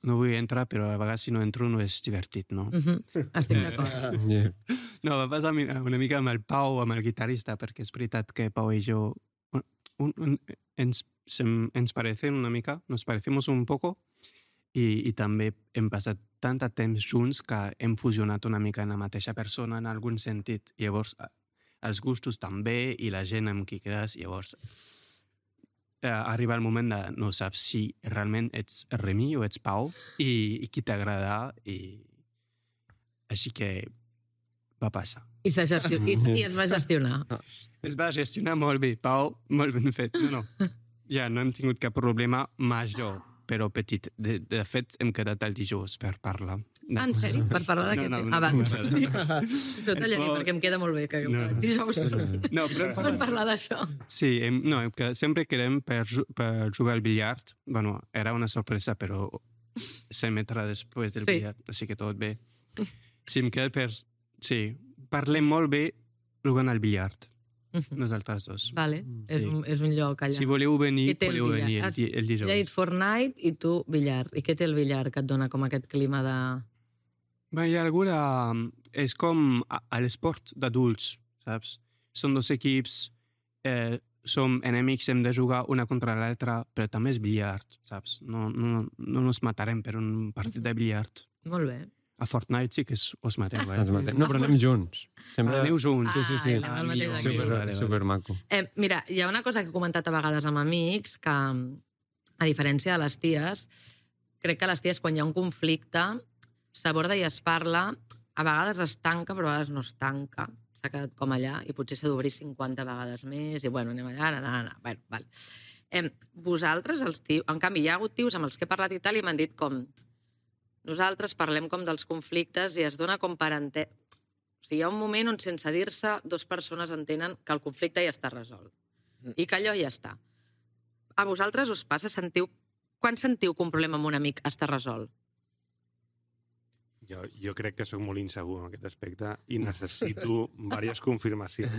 no vull entrar, però a vegades si no entro no és divertit, no? Estic d'acord. No, va passar una mica amb el Pau, amb el guitarrista, perquè és veritat que Pau i jo ens parecen una mica, nos parecemos un poco, i també hem passat tant de temps junts que hem fusionat una mica en la mateixa persona en algun sentit. Llavors, els gustos també i la gent amb qui quedes, llavors arriba el moment de no saps si realment ets Remi o ets Pau i qui t'agrada i així que va passar. I es va gestionar. Es va gestionar molt bé, Pau, molt ben fet. No. Ja no hem tingut cap problema major, però petit. De fet, hem quedat el dijous per parlar. En sèrio? Per parlar d'aquest tema? Va. Això tallaré, perquè em queda molt bé que dijous No, però per parlar d'això. sí, que sempre quedem per jugar al billard. Bueno, era una sorpresa, però s'emetrà després del billard, així que tot bé. Sí, em queda per... Sí, parlem molt bé jugant al billard. Nosaltres dos. Vale, és un lloc allà. Si voleu venir, Què té el podeu venir billar? el dijous. Ja ets Fortnite i tu billar. I què té el billar que et dona com aquest clima de... Bé, hi ha alguna... És com a l'esport d'adults, saps? Són dos equips, som enemics, hem de jugar una contra l'altra, però també és billard, saps? No nos matarem per un partit de billard. Molt bé. A Fortnite sí que us mateu, Ens matem. No, però anem junts. Sempre... Aneu junts. Sí. Anem al mateix equip. Super maco. Mira, hi ha una cosa que he comentat a vegades amb amics, que a diferència de les ties, crec que les ties, quan hi ha un conflicte, s'aborda i es parla, a vegades es tanca, però a vegades no es tanca. S'ha quedat com allà i potser s'ha d'obrir 50 vegades més i, bueno, anem allà, Bueno, val. Vosaltres, els tios... En canvi, hi ha hagut tios amb els que he parlat i tal i m'han dit com... Nosaltres parlem com dels conflictes i es dona com per entès... O sigui, hi ha un moment on, sense dir-se, dues persones entenen que el conflicte ja està resolt. I que allò ja està. A vosaltres us passa? Quan sentiu que un problema amb un amic està resolt? Jo crec que sóc molt insegur en aquest aspecte i necessito diverses confirmacions.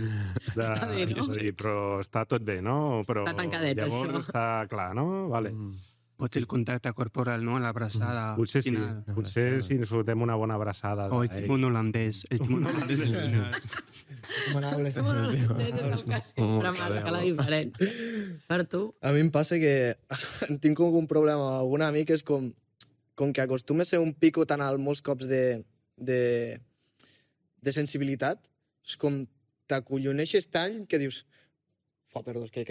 Està bé, no? És a dir, però està tot bé, no? Però Està tancadet, llavors això. està clar, no? Vale. Pot el contacte corporal, no? L'abraçada. Potser sí. final. Potser si ens fotem una bona abraçada. O el timón holandès. El timón holandès al final. Manable. Bueno, és el que sempre marca la diferència. Per tu? A mi em passa que tinc com un problema amb algun amic, és com que acostuma a ser un pico tan alt molts cops de sensibilitat, és com t'acolloneixes tant que dius perdó, que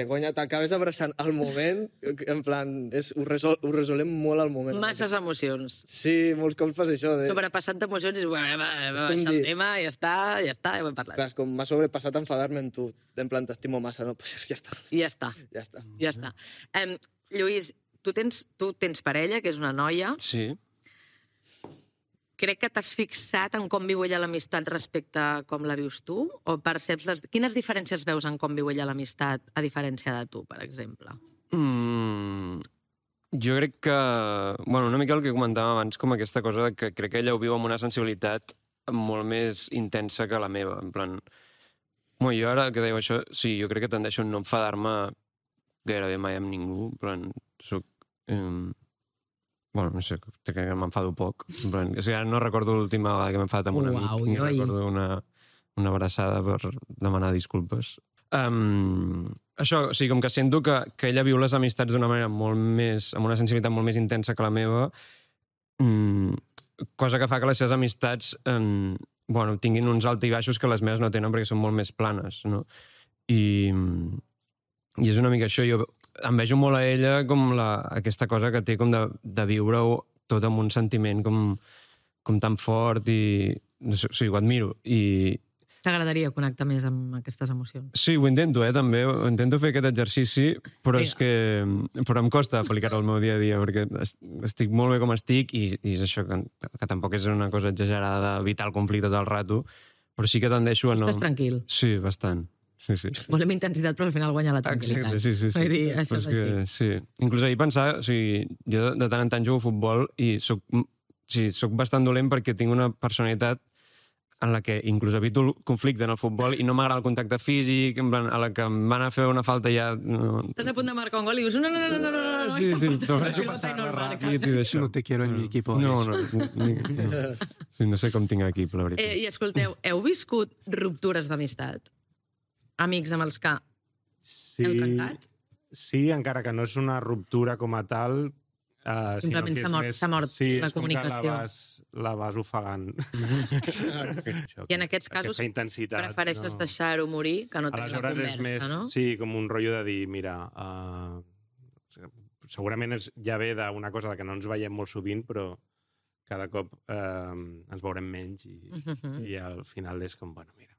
conya, t'acabes abraçant al moment, en plan, ho resolem molt al moment. Masses emocions. Sí, molts cops fas això. Sobrepassat d'emocions i dius, va baixar el tema, ja està, ja ho hem parlat. Clar, com m'ha sobrepassat enfadar-me amb tu. En plan, t'estimo massa, no? Pues ja està. I ja està. Ja està. Ja està. Lluís, tu tens parella, que és una noia. Sí. Crec que t'has fixat en com viu ella l'amistat respecte a com la vius tu? O perceps quines diferències veus en com viu ella l'amistat a diferència de tu, per exemple? Jo crec que... Bueno, una mica el que comentàvem abans, com aquesta cosa que crec que ella ho viu amb una sensibilitat molt més intensa que la meva. En plan... Bueno, jo ara que dèiu això, sí, jo crec que tendeixo a no enfadar-me gairebé mai amb ningú. En plan, soc... Bueno, no sé, crec que m'enfado poc. En plan, és que ara no recordo l'última vegada que m'he enfadat amb un amic. Ni recordo una abraçada per demanar disculpes. Això, o sigui, com que sento que ella viu les amistats d'una manera molt més... amb una sensibilitat molt més intensa que la meva, cosa que fa que les seves amistats tinguin uns alts i baixos que les meves no tenen perquè són molt més planes, no? I és una mica això. Jo envejo molt a ella com aquesta cosa que té com de viure-ho tot amb un sentiment com tan fort i... No sé, o sigui, ho admiro. I... T'agradaria connectar més amb aquestes emocions? Sí, ho intento, també. Intento fer aquest exercici, però és que... Però em costa aplicar-ho al meu dia a dia, perquè estic molt bé com estic i és això, que tampoc és una cosa exagerada d'evitar el conflicte tot el rato, però sí que tendeixo a no... Estàs tranquil? Sí, bastant. Sí. Volem intensitat, però al final guanya la tranquil·litat. Exacte, sí. Vull dir, això és així. Sí. Inclús ahir pensava, o sigui, jo de tant en tant jugo a futbol i soc bastant dolent perquè tinc una personalitat en la que inclús evito el conflicte en el futbol i no m'agrada el contacte físic, en plan, a la que em van a fer una falta ja... Estàs a punt de marcar un gol i dius no. Sí, t'ofereixo passar-la ràpid i d'això. No te quiero en mi equipo. No. Sí, no sé com tinc equip, la veritat. I escolteu, heu viscut ruptures d'amistat? Amics amb els que heu trencat? Sí, encara que no és una ruptura com a tal, simplement s'ha mort la comunicació. Sí, és com que la vas ofegant. I en aquests casos prefereixes deixar-ho morir que no tenir la conversa, no? Sí, com un rotllo de dir, mira, segurament ja ve d'una cosa que no ens veiem molt sovint, però cada cop ens veurem menys i al final és com, bueno, mira.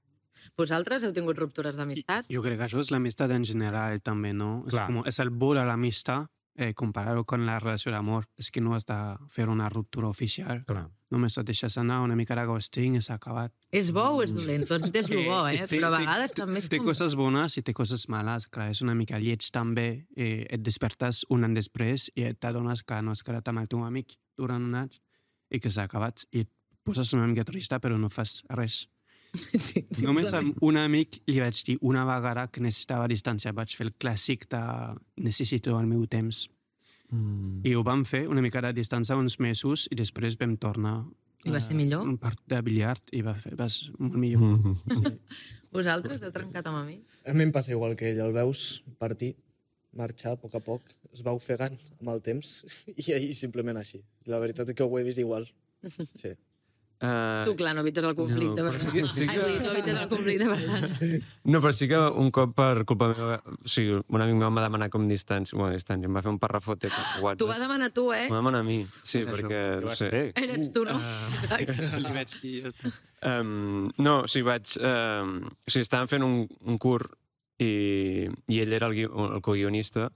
Vosaltres heu tingut ruptures d'amistat? Jo crec que això és l'amistat en general, també, no? És el vol a l'amistat, comparar-ho amb la relació d'amor. És que no has de fer una ruptura oficial. Clar. Només et deixes anar una mica de ghosting i s'ha acabat. És bo o és dolent? Tu has dit és lo bo, però a vegades també és Té coses bones i té coses males. Clar, és una mica lleig també. Et despertes un any després i t'adones que no has quedat amb el teu amic durant un any i que s'ha acabat. I et poses una mica trista, però no fas res. Sí, només amb un amic li vaig dir una vegada que necessitava distància. Vaig fer el clàssic de necessito el meu temps. I ho vam fer una mica de distància uns mesos i després vam tornar. I va ser millor? Un part de billard i va ser molt millor. Vosaltres heu trencat amb amic? A mi em passa igual que ell. El veus partir, marxar a poc, es va ofegant amb el temps i ahir simplement així. La veritat és que ho he vist igual. Sí. Tu, clar, no evites el conflicte, per tant. Tu evites el conflicte, per tant. No, però sí que un cop per culpa meva, o sigui, un amic meu em va demanar com distància, em va fer un parrafote per WhatsApp. T'ho va demanar tu, M'ho va demanar a mi, sí, perquè... Què vas fer? Ets tu, no? Li vaig dir... No, o sigui, estàvem fent un curt i ell era el co-guionista,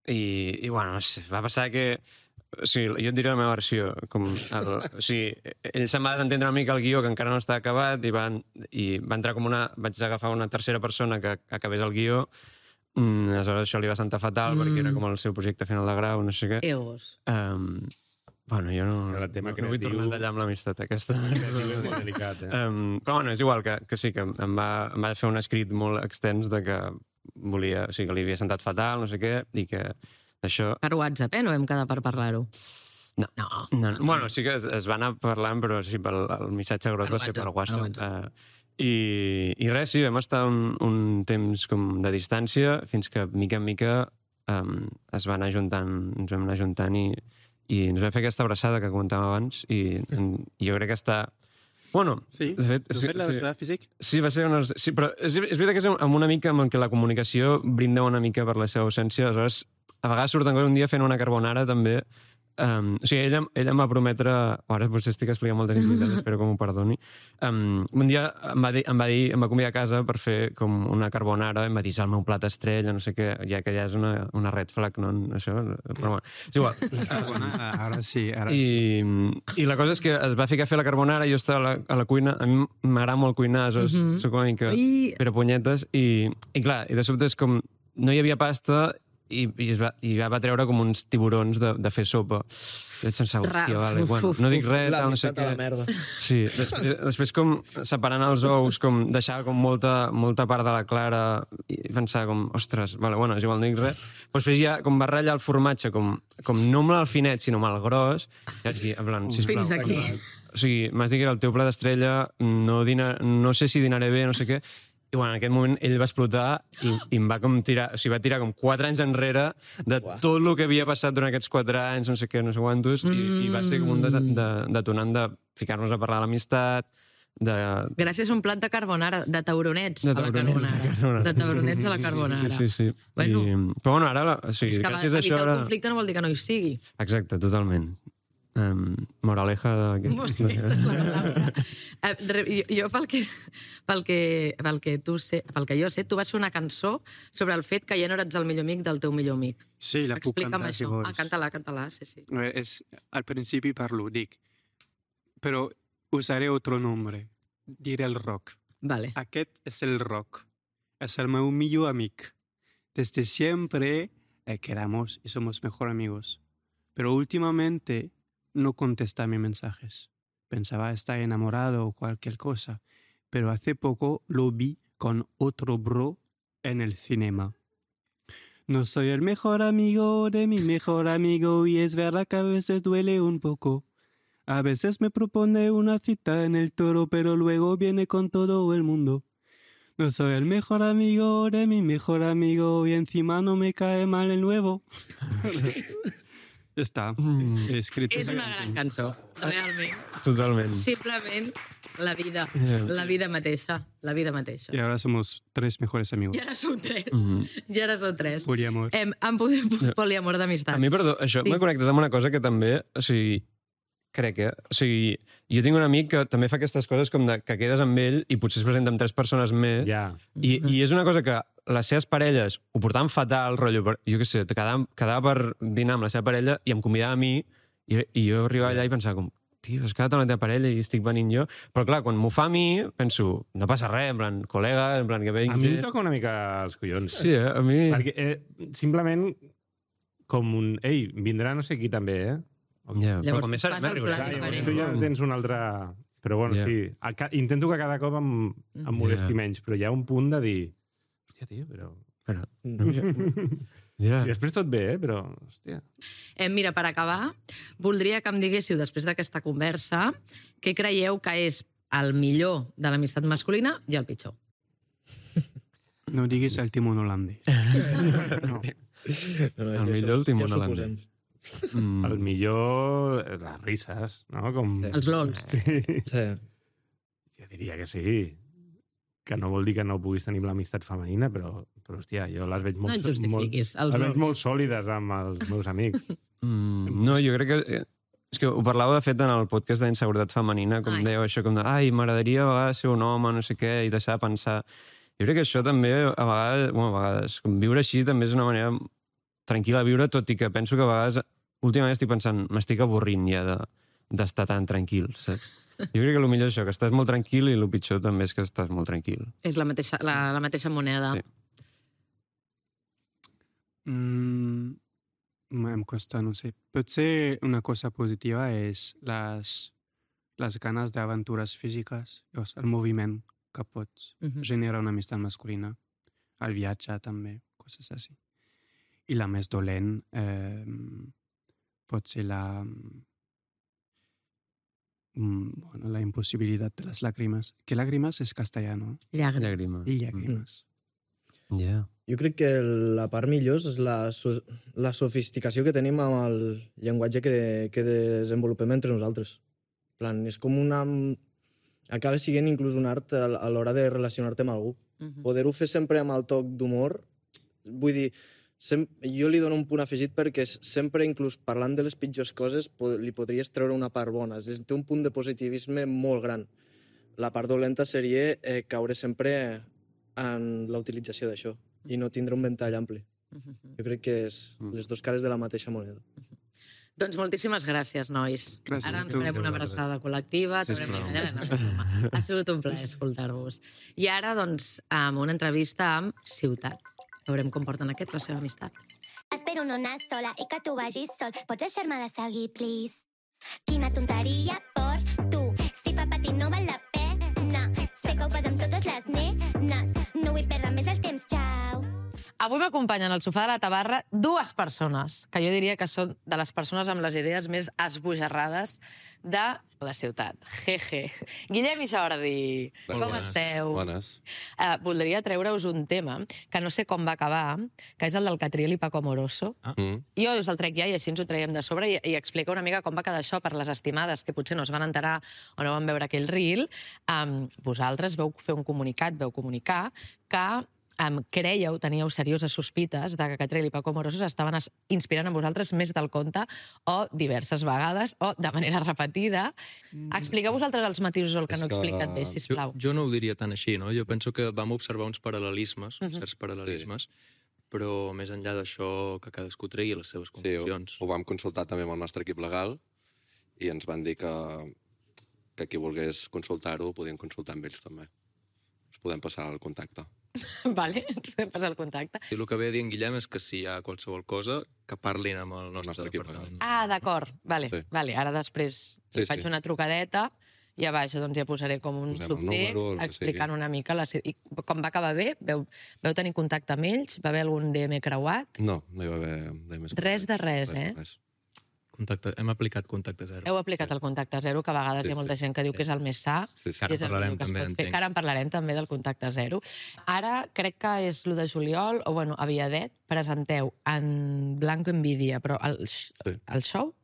i bueno, no sé, va passar que... O sigui, jo et diré la meva versió. O sigui, ell se'n va desentendre una mica el guió, que encara no està acabat, i va entrar com una... Vaig agafar una tercera persona que acabés el guió. Aleshores això li va sentar fatal, perquè era com el seu projecte final de grau, no sé què. Egos. Bueno, jo no vull tornar a tallar amb l'amistat aquesta. És molt delicat, Però bueno, és igual, que sí, que em va fer un escrit molt extens de que volia... O sigui, que li havia sentat fatal, no sé què, i que... Això... Per WhatsApp, no vam quedar per parlar-ho? No. Bueno, sí que es va anar parlant, però sí, el missatge gros va ser per WhatsApp. I res, sí, vam estar un temps com de distància, fins que, mica en mica, ens vam anar ajuntant i ens vam fer aquesta abraçada que comentàvem abans, i jo crec que està... Bueno, sí? De fet, tu fet l'abraçada físic? Sí, va ser una... Sí, però és veritat que és amb una mica amb què la comunicació brinda una mica per la seva ausència, aleshores a vegades surten un dia fent una carbonara també. O sigui, ella em va prometre... Ara potser estic explicant moltes intimitats, espero que m'ho perdoni. Un dia em va convidar a casa per fer com una carbonara, em va dir el meu plat estrella, no sé què, ja que ja és una red flag, no? Això, però bueno, és igual. Ara sí. I la cosa és que es va ficar a fer la carbonara, jo estava a la cuina, a mi m'agrada molt cuinar, soc una mica perepunyetes, i clar, i de sobte és com... No hi havia pasta, i va treure com uns tiburons de fer sopa. I vaig pensar, hòstia, vale, bueno, no dic res, no sé què. La merda. Sí, després com separant els ous, com deixava com molta part de la clara i pensava com, ostres, vale, bueno, és igual, no dic res. Però després ja com va ratllar el formatge, com no amb el finet, sinó amb el gros, i vaig dir, en plan, sisplau. Fins aquí. O sigui, m'has dit que era el teu plat d'estrella, no sé si dinaré bé, no sé què. I bueno, en aquest moment ell va explotar i em va com tirar, o sigui, va tirar com 4 anys enrere de tot el que havia passat durant aquests 4 anys, no sé què, no sé quantos, i va ser com un detonant de ficar-nos a parlar de l'amistat, Gràcies a un plat de carbonara, de tauronets a la carbonara. De tauronets a la carbonara. Sí. Però bueno, ara, o sigui, gràcies a això... Evitar el conflicte no vol dir que no hi sigui. Exacte, totalment. Moraleja de... Aquesta és la paraula. Jo, pel que jo sé, tu vas fer una cançó sobre el fet que ja no eres el millor amic del teu millor amic. Sí, la puc cantar, si vols. Canta-la, sí. Al principi parlo, dic, però usaré otro nombre. Diré el rock. Vale. Aquest és el rock. És el meu millor amic. Desde siempre quedamos y somos mejor amigos. Pero últimamente no contesta mis mensajes. Pensaba estar enamorado o cualquier cosa, pero hace poco lo vi con otro bro en el cinema. No soy el mejor amigo de mi mejor amigo y es verdad que a veces duele un poco. A veces me propone una cita en el Toro, pero luego viene con todo el mundo. No soy el mejor amigo de mi mejor amigo y encima no me cae mal el nuevo. Ja està. És una gran cançó, realment. Totalment. Simplement la vida mateixa. La vida mateixa. Y ahora somos 3 mejores amigos. I ara som 3. I ara som 3. Poliamor. Poliamor d'amistat. A mi, perdó, això m'ha connectat amb una cosa que també, o sigui, crec que... O sigui, jo tinc un amic que també fa aquestes coses com que quedes amb ell i potser es presenta amb 3 persones més. Ja. I és una cosa que les seves parelles ho portaven fatal, rotllo, jo què sé, quedava per dinar amb la seva parella i em convidava a mi i jo arribava allà i pensava com, tio, has quedat amb la teva parella i estic venint jo. Però clar, quan m'ho fa a mi, penso, no passa res, en plan, col·lega, en plan, que venc... A mi em toca una mica els collons. Sí, a mi... Perquè simplement com un... Ei, vindrà no sé qui també, Ja, Llavors, però com és fas el pla diferent. Tu ja tens un altre... Però bueno, sí. Intento que cada cop em molesti menys, però hi ha un punt de dir... Hòstia, tio, però... Ja. I després tot bé, però... Hòstia. Mira, per acabar, voldria que em diguéssiu, després d'aquesta conversa, què creieu que és el millor de l'amistat masculina i el pitjor. No diguis el timón holandès. No, El millor el timón holandès. El millor... Les risses, no? Com... Els lols. Sí. Jo diria que sí. Que no vol dir que no puguis tenir l'amistat femenina, però hòstia, jo les veig No et justifiquis, els les veig lols. molt sòlides amb els meus amics. No, jo crec que... És que ho parlàveu, de fet, en el podcast d'inseguretat femenina, com dèieu això, com de, ai, m'agradaria a vegades ser un home, no sé què, i deixar de pensar... Jo crec que això també, a vegades, com viure així també és una manera tranquil·la de viure, tot i que penso que a vegades, últimament estic pensant, m'estic avorrint ja d'estar tan tranquil, saps? Jo crec que el millor és això, que estàs molt tranquil, i el pitjor també és que estàs molt tranquil. És la mateixa moneda. Sí. Em costa, no sé. Potser una cosa positiva és les ganes d'aventures físiques, el moviment que pots generar una amistat masculina, el viatge també, coses així. I la més dolent pot ser la impossibilitat de les llàgrimes. Que llàgrimes és castellà, no? Llàgrima. Llàgrimes. Yeah. Jo crec que la part millor és la sofisticació que tenim amb el llenguatge que desenvolupem entre nosaltres. En plan, és com acaba sent inclús un art a l'hora de relacionar-te amb algú. Poder-ho fer sempre amb el toc d'humor, vull dir, jo li dono un punt afegit perquè sempre, inclús parlant de les pitjors coses, li podries treure una part bona. Té un punt de positivisme molt gran. La part dolenta seria caure sempre en la utilització d'això i no tindre un ventall ampli. Jo crec que és les dues cares de la mateixa moneda. Doncs moltíssimes gràcies, nois. Gràcies. Ara ens farem una abraçada col·lectiva. Ha sigut un plaer escoltar-vos. I ara, doncs, amb una entrevista amb Ciutat. Veurem com porten la seva amistat. Espero no anar sola i que tu vagis sol. Pots deixar-me de seguir, please? Quina tonteria per tu. Si fa patir no val la pena. Sé que ho fas amb totes les nenes. No vull perdre més el temps, xau. Avui m'acompanyen al sofà de la tabarra dues persones, que jo diria que són de les persones amb les idees més esbojarrades de la ciutat. Jeje. Guillem i Jordi, com esteu? Bones. Voldria treure-us un tema que no sé com va acabar, que és el del Catriel i Paco Amoroso. Jo us el trec ja i així ens ho traiem de sobre i explica una mica com va quedar això per les estimades que potser no es van enterar o no van veure aquell reel. Vosaltres vau fer un comunicat, vau comunicar que creieu, teníeu serioses sospites de que Catriel i Paco Amoroso estaven inspirant en vosaltres més del compte o diverses vegades o de manera repetida. Expliqueu vosaltres els matisos o el que no he explicat bé, sisplau. Jo no ho diria tan així, no? Jo penso que vam observar uns paral·lelismes, certs paral·lelismes, però més enllà d'això que cadascú tregui les seves conclusions. Sí, ho vam consultar també amb el nostre equip legal i ens van dir que qui volgués consultar-ho podien consultar amb ells també. Us podem passar el contacte. Vale, ens podem passar el contacte. I el que ve a dir en Guillem és que si hi ha qualsevol cosa, que parlin amb el nostre departament. Ah, d'acord. Vale, vale. Ara després faig una trucadeta i a baix doncs ja posaré com un subtext explicant una mica I com va acabar bé? Veu tenir contacte amb ells? Va haver algun DM creuat? No, no hi va haver DMs creuat. Res de res, eh? Hem aplicat contacte zero. Heu aplicat el contacte zero, que a vegades hi ha molta gent que diu que és el més sa. Ara parlarem també, entenc. Ara en parlarem també del contacte zero. Ara, crec que és l'1 de juliol, o bueno, a Viadet, presenteu en Blanco Envidia, però el show?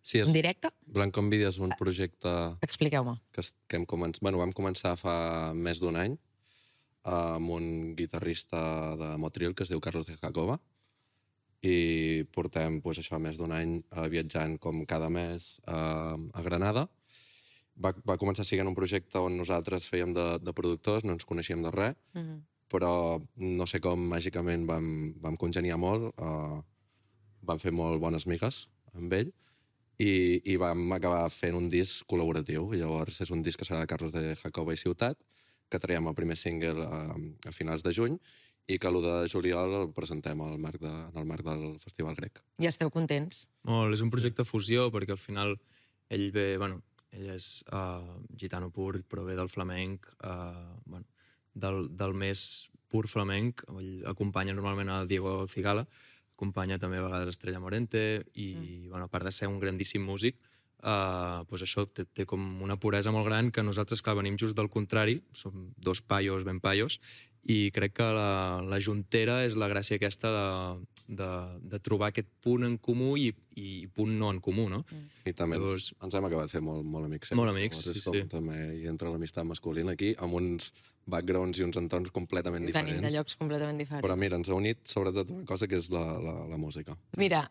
Sí, en directe? Blanco Envidia és un projecte... Expliqueu-me. Que vam començar fa més d'un any amb un guitarrista de Motril que es diu Carlos de Jacoba, i portem això més d'un any viatjant com cada mes a Granada. Va començar sent un projecte on nosaltres fèiem de productors, no ens coneixíem de res, però no sé com màgicament vam congeniar molt, vam fer molt bones migues amb ell i vam acabar fent un disc col·laboratiu. Llavors és un disc que serà de Carlos de Jacoba i Ciutat, que traiem el primer single a finals de juny i que l'1 de juliol el presentem en el marc del Festival Grec. I esteu contents? Molt, és un projecte fusió, perquè al final ell és gitano pur, però ve del flamenc, del més pur flamenc. Ell acompanya normalment a Diego Cigala, acompanya també a vegades Estrella Morente, i a part de ser un grandíssim músic, això té com una puresa molt gran que nosaltres, clar, venim just del contrari, som dos paios ben paios, i crec que la juntera és la gràcia aquesta de trobar aquest punt en comú i punt no en comú, no? I també ens hem acabat fent molt amics. Molt amics, sí. També hi entra l'amistat masculina aquí, amb uns backgrounds i uns entorns completament Venim de diferents. llocs completament diferents. Però mira, ens ha unit sobretot una cosa que és la música. Mira,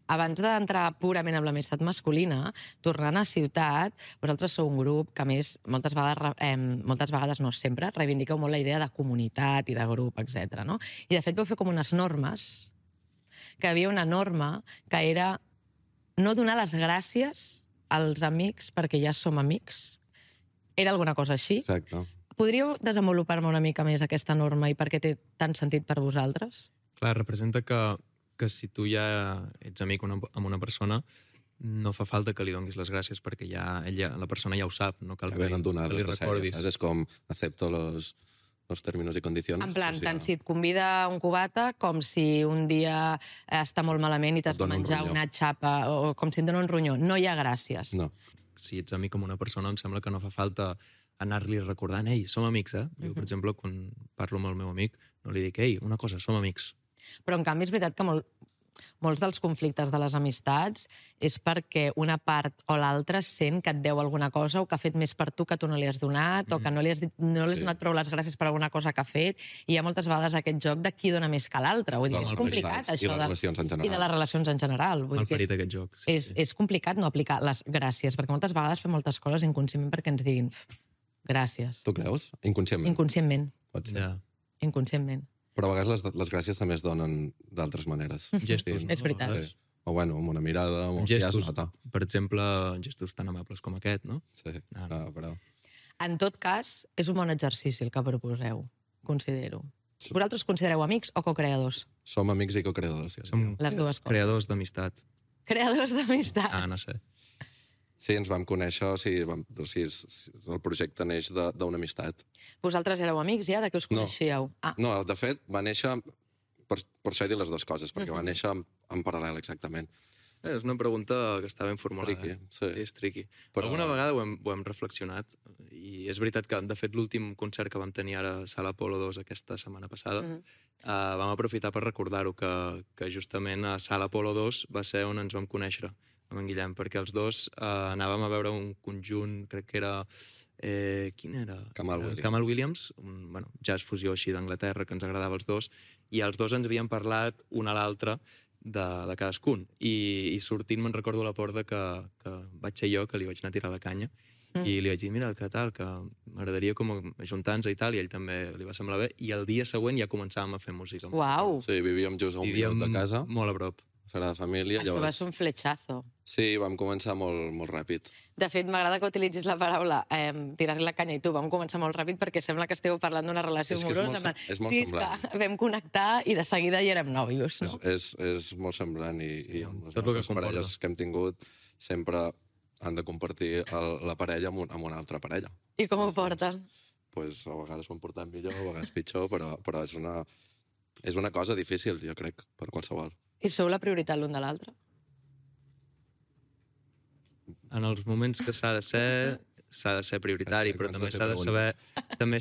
abans d'entrar purament amb l'amistat masculina, tornant a Ciutat, vosaltres sou un grup que, a més, moltes vegades, no sempre, reivindiqueu molt la idea de comunitat i de grup, etc. No? I, de fet, vau fer com unes normes, que hi havia una norma que era no donar les gràcies als amics perquè ja som amics. Era alguna cosa així? Exacte. Podríeu desenvolupar-me una mica més aquesta norma i per què té tant sentit per vosaltres? Clar, representa que si tu ja ets amic amb una persona, no fa falta que li donis les gràcies perquè la persona ja ho sap, no cal Que venen que donades li les recordis. sèries. És com acepto los términos i condicions. En plan, Pues tant si et convida un cubata com si un dia està molt malament i t'has Et de dona un menjar ronyó. una xapa o com si et dona un ronyó. No hi ha gràcies. No. Si ets amic amb una persona, em sembla que no fa falta anar-li recordant, ei, som amics, eh? Jo, per exemple, quan parlo amb el meu amic, no li dic, ei, una cosa, som amics. Però, en canvi, és veritat que molts dels conflictes de les amistats és perquè una part o l'altra sent que et deu alguna cosa o que ha fet més per tu que tu no li has donat o que no li has donat prou les gràcies per alguna cosa que ha fet. I hi ha moltes vegades aquest joc de qui dona més que l'altre. Vull dir, és complicat, I això. les relacions en I de general. les relacions en general. Vull Mal dir que ferit aquest joc. Sí, sí. és complicat no aplicar les gràcies, perquè moltes vegades fem moltes coses inconscientment perquè ens diguin gràcies. Tu creus? Inconscientment. Inconscientment. Pot ser. Ja. Inconscientment. Però a vegades les gràcies també es donen d'altres maneres. Gestos, no? És veritat. Sí. O bueno, amb una mirada, Amb ja es gestos, nota. per exemple, gestos tan amables com aquest, no? Sí, No. però... En tot cas, és un bon exercici el que proposeu, considero. Vosaltres considereu amics o co-creadors? Som amics i co-creadors. Sí. Som Les dues coses. creadors d'amistat. Creadors d'amistat. No sé. Sí, ens vam conèixer, el projecte neix d'una amistat. Vosaltres éreu amics ja? De què us No. coneixíeu? No, de fet, va néixer... Per això he dit les dues coses, perquè va néixer en paral·lel, exactament. És una pregunta que està ben formulada. Tricky, Sí, és tricky. Però- Alguna vegada ho hem reflexionat i és veritat que, de fet, l'últim concert que vam tenir ara a Sala Apolo 2 aquesta setmana passada, vam aprofitar per recordar-ho, que justament a Sala Apolo 2 va ser on ens vam conèixer amb en Guillem, perquè els dos anàvem a veure un conjunt, crec que era... quin era? Kamal Williams. Kamal Williams, un jazz fusió així d'Anglaterra, que ens agradava als dos, i els dos ens havien parlat un a l'altre de cadascun. I sortint me'n recordo a la porta que vaig ser jo, que li vaig anar a tirar la canya, i li vaig dir, mira, què tal, que m'agradaria com ajuntar-nos i tal, i a ell també li va semblar bé, i el dia següent ja començàvem a fer música. Uau! Sí, vivíem just a un minut de casa, molt a prop. serà de família. Això va ser un fletxazo. Sí, vam començar molt ràpid. De fet, m'agrada que utilitzis la paraula tirar-li la canya i tu. Vam començar molt ràpid perquè sembla que esteu parlant d'una relació És que és amorosa. molt- és molt sí, semblant. que vam connectar i de seguida ja érem nòvios, no? És molt semblant i amb les tot el que nostres parelles comporta. que hem tingut sempre han de compartir la parella amb una altra parella. I com ho porten? Pues, a vegades ho han portat millor, a vegades pitjor, però és una cosa difícil, jo crec, per qualsevol. I sou la prioritat l'un de l'altre? En els moments que s'ha de ser prioritari, però també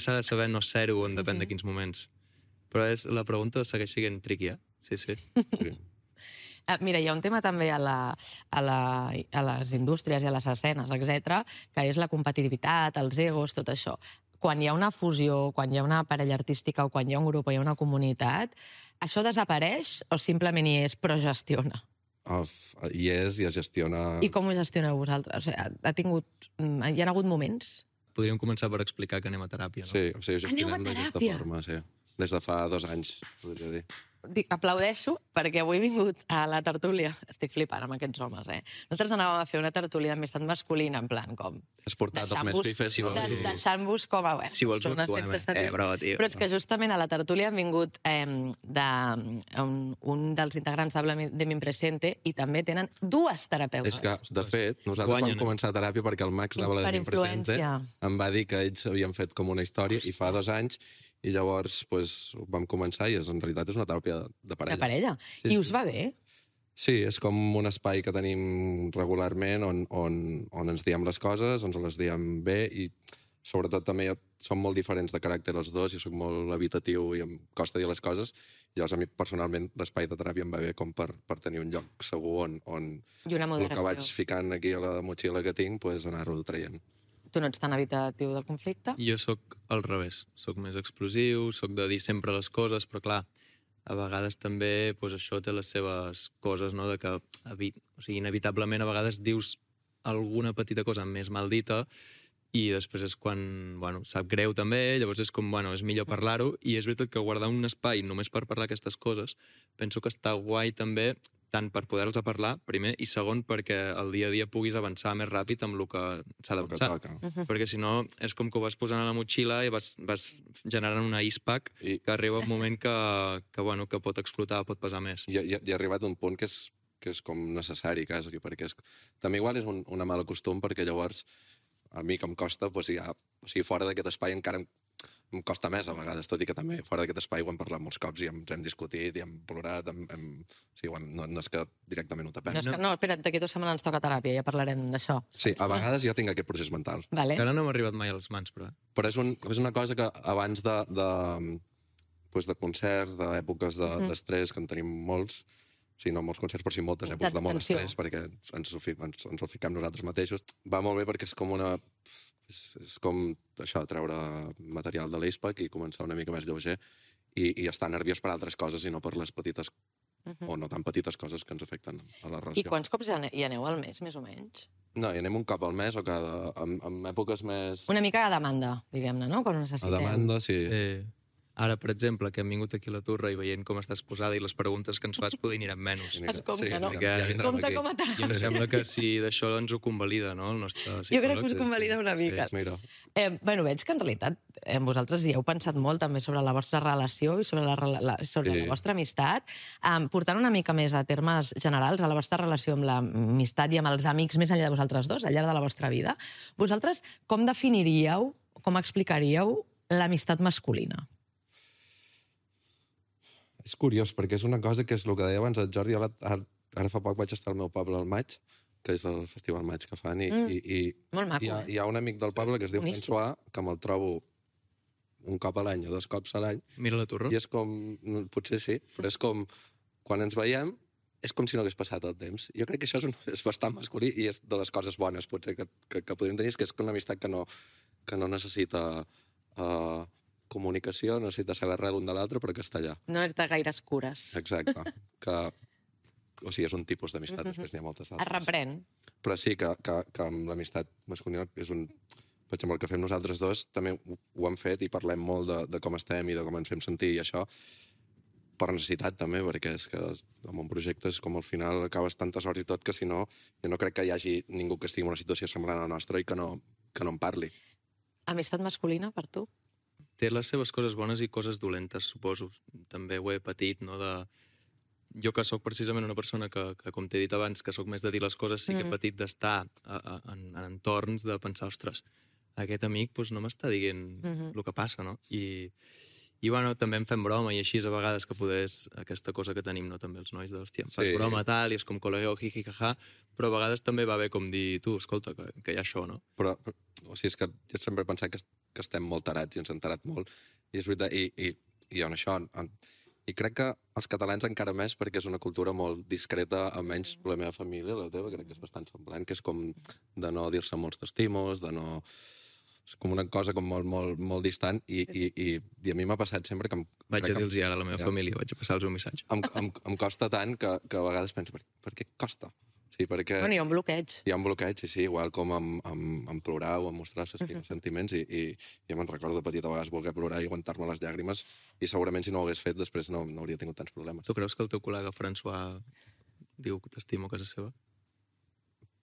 s'ha de saber no ser-ho en depèn de quins moments. Però la pregunta segueix sent tricky, eh? Sí. Sí. Mira, hi ha un tema també a les indústries i a les escenes, etc, que és la competitivitat, els egos, tot això. Quan hi ha una fusió, quan hi ha una parella artística o quan hi ha un grup o hi ha una comunitat, això desapareix o simplement hi és però gestiona? Hi és i es gestiona... I com ho gestioneu vosaltres? O sigui, hi ha hagut moments? Podríem començar per explicar que anem a teràpia, no? Sí, o sigui, Aneu a gestionem d'aquesta teràpia? forma, sí. Des de fa 2 anys, podria dir. Aplaudeixo perquè avui he vingut a la tertúlia. Estic flipant amb aquests homes, eh? Nosaltres anàvem a fer una tertúlia d'amistat masculina, en plan, com... Has portat els més fifes, si vols dir. Deixant-vos com a... Bueno, Si vols ho persones actuem, sense sentit. bro, tio. Però és que justament a la tertúlia han vingut un dels integrants de Mi Presente i també tenen 2 terapeutes. És que, de fet, nosaltres Guanyen, vam començar teràpia perquè el Max anava a la Per de Presente, influència. em va dir que ells havien fet com una història i fa 2 anys i llavors vam començar i en realitat és una teràpia de parella. De parella. Sí, I sí. us va bé? Sí, és com un espai que tenim regularment on ens diem les coses, ens les diem bé i sobretot també som molt diferents de caràcter els dos, jo soc molt habitatiu i em costa dir les coses, i llavors a mi personalment l'espai de teràpia em va bé com per tenir un lloc segur on I una el moderació. que vaig ficant aquí a la motxilla que tinc, pues, anar-ho traient. Tu no ets tan habitatiu del conflicte? Jo sóc al revés. Soc més explosiu, soc de dir sempre les coses, però clar, a vegades també doncs, això té les seves coses, no? De que o sigui, inevitablement a vegades dius alguna petita cosa més maldita i després és quan, bueno, sap greu també, llavors és com, bueno, és millor parlar-ho, i és veritat que guardar un espai només per parlar aquestes coses penso que està guai també, tant per poder-los parlar, primer, i segon, perquè el dia a dia puguis avançar més ràpid amb el que s'ha d'avançar. Perquè si no, és com que ho vas posant a la motxilla i vas generant una ice-pack que arriba un moment que pot explotar, pot pesar més. I ha arribat un punt que és com necessari, quasi, perquè també igual és un mal costum, perquè llavors a mi que em costa, o sigui, fora d'aquest espai encara em costa més a vegades, tot i que també fora d'aquest espai ho hem parlat molts cops i ens hem discutit i hem plorat, o sigui, no és que directament ho tapem. No, espera't, d'aquí 2 setmanes ens toca teràpia, ja parlarem d'això. Sí, a vegades jo tinc aquest procés mental. Vale. Encara no m'ha arribat mai a les mans, però... Però és una cosa que abans de concerts, d'èpoques d'estrès, que en tenim molts, o sigui, no molts concerts, però sí moltes èpoques de molt estrès, perquè ens ho fiquem nosaltres mateixos, va molt bé perquè és com això, treure material de l'Acepack i començar una mica més lleuger i estar nerviós per altres coses i no per les petites o no tan petites coses que ens afecten a la relació. I quants cops hi aneu al mes, més o menys? No, hi anem un cop al mes o en èpoques més... Una mica a demanda, diguem-ne, no? Quan ho necessiteu. A demanda, sí. Ara, per exemple, que hem vingut aquí a la Torre i veient com estàs posada i les preguntes que ens fas poder aniran menys. Es compta, no? Compta com a teràpia. I em sembla que si d'això ens ho convalida, no? El nostre psicòleg. Jo crec que us convalida una mica. Mira. Veig que en realitat vosaltres hi heu pensat molt també sobre la vostra relació i sobre la vostra amistat, portant una mica més a termes generals a la vostra relació amb l'amistat i amb els amics més enllà de vosaltres dos, al llarg de la vostra vida. Vosaltres com definiríeu, com explicaríeu l'amistat masculina? És curiós, perquè és una cosa que és el que deia abans el Jordi. Ara fa poc vaig estar al meu poble al maig, que és el Festival Maig que fan, i molt maco, hi ha un amic del poble que es diu François, que me'l trobo un cop a l'any o 2 cops a l'any. Mira la torre. I és com, potser sí, però és com, quan ens veiem, és com si no hagués passat el temps. Jo crec que això és bastant masculí i és de les coses bones, potser, que podríem tenir, que és una amistat que no necessita comunicació, no necessita saber res l'un de l'altre, però que està allà. No és de gaires cures. Exacte. O sigui, és un tipus d'amistat, després n'hi ha moltes altres. Es reprèn. Però sí que amb l'amistat masculina és un... Per exemple, el que fem nosaltres dos també ho hem fet i parlem molt de com estem i de com ens fem sentir i això per necessitat també, perquè és que en un projecte és com al final acabes tantes hores i tot que si no, jo no crec que hi hagi ningú que estigui en una situació semblant a la nostra i que no en parli. Amistat masculina, per tu? Té les seves coses bones i coses dolentes, suposo. També ho he patit, no? Jo que sóc precisament una persona que com t'he dit abans, que sóc més de dir les coses, sí que he patit d'estar en entorns de pensar, ostres, aquest amic no m'està dient el que passa, no? I bueno, també em fem broma i així a vegades que poder és aquesta cosa que tenim, no? També els nois de, hòstia, em fas broma tal, i és com col·legueu, jijijaja, però a vegades també va bé com dir, tu, escolta, que hi ha això, no? Però o sigui, és que jo sempre he pensat que estem molt tarats i ens hem tarat molt, i és veritat, i en això... I crec que els catalans encara més, perquè és una cultura molt discreta, almenys la meva família, la teva, crec que és bastant semblant, que és com de no dir-se molts t'estimos, de no... És com una cosa com molt distant i a mi m'ha passat sempre que... Vaig a dir-los ara a la meva família, vaig a passar-los un missatge. Em costa tant que a vegades penso, per què costa? Sí, perquè... Bueno, hi ha un bloqueig. Hi ha un bloqueig, sí, igual com en plorar o en mostrar els sentiments i jo me'n recordo de petit a vegades voler plorar i aguantar-me les llàgrimes i segurament si no ho hagués fet després no hauria tingut tants problemes. Tu creus que el teu col·lega François diu que t'estimo a casa seva?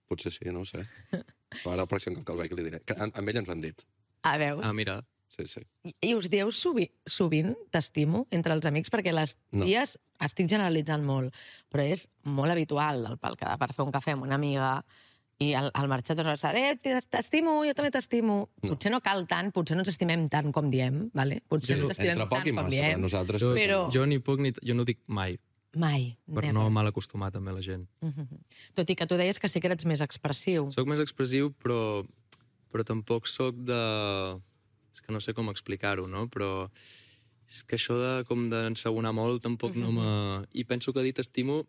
Potser sí, no ho sé. Però ara el pròxim cop que el veig li diré. Amb ell ens ho han dit. Ah, veus? Ah, mira. Sí. I us dieu sovint t'estimo entre els amics? Perquè les ties, estic generalitzant molt, però és molt habitual pel quedar per fer un cafè amb una amiga i al marxar tornes a dir, t'estimo, jo també t'estimo. Potser no cal tant, potser no ens estimem tant com diem, vale? Potser no ens estimem tant com diem. Nosaltres... Però... Jo ni puc ni... Jo no ho dic mai. Mai. Per no mal acostumar també la gent. Tot i que tu deies que sí que eres més expressiu. Soc més expressiu, però tampoc soc de... És que no sé com explicar-ho, no? Però és que això d'ensegonar molt tampoc no me... I penso que dir t'estimo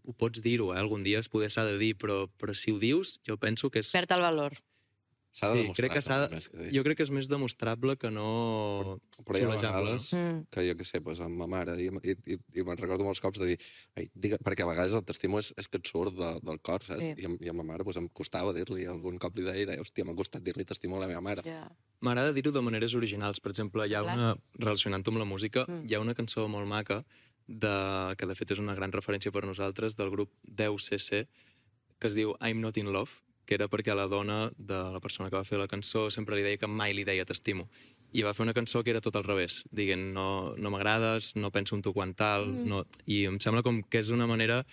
ho pots dir-ho, algun dia es poder s'ha de dir, però si ho dius, jo penso que és... Perd el valor. S'ha de Sí, demostrar. crec que s'ha de... més que dir. Jo crec que és més demostrable que no... Però hi ha xulejable, vegades no? que jo què sé, doncs, amb ma mare, i me'n recordo molts cops de dir, perquè a vegades el t'estimo és que et surt del cor, saps? Sí. I a ma mare doncs, em costava dir-li, algun cop li deia, hòstia, m'ha costat dir-li t'estimo a la meva mare. Ja. M'agrada dir-ho de maneres originals. Per exemple, hi ha una, relacionant-ho amb la música, Mm. hi ha una cançó molt maca que de fet és una gran referència per nosaltres, del grup 10cc, que es diu I'm Not In Love, que era perquè a la dona de la persona que va fer la cançó sempre li deia que mai li deia t'estimo. I va fer una cançó que era tot al revés, dient no m'agrades, no penso en tu quan tal, no... I em sembla com que és una manera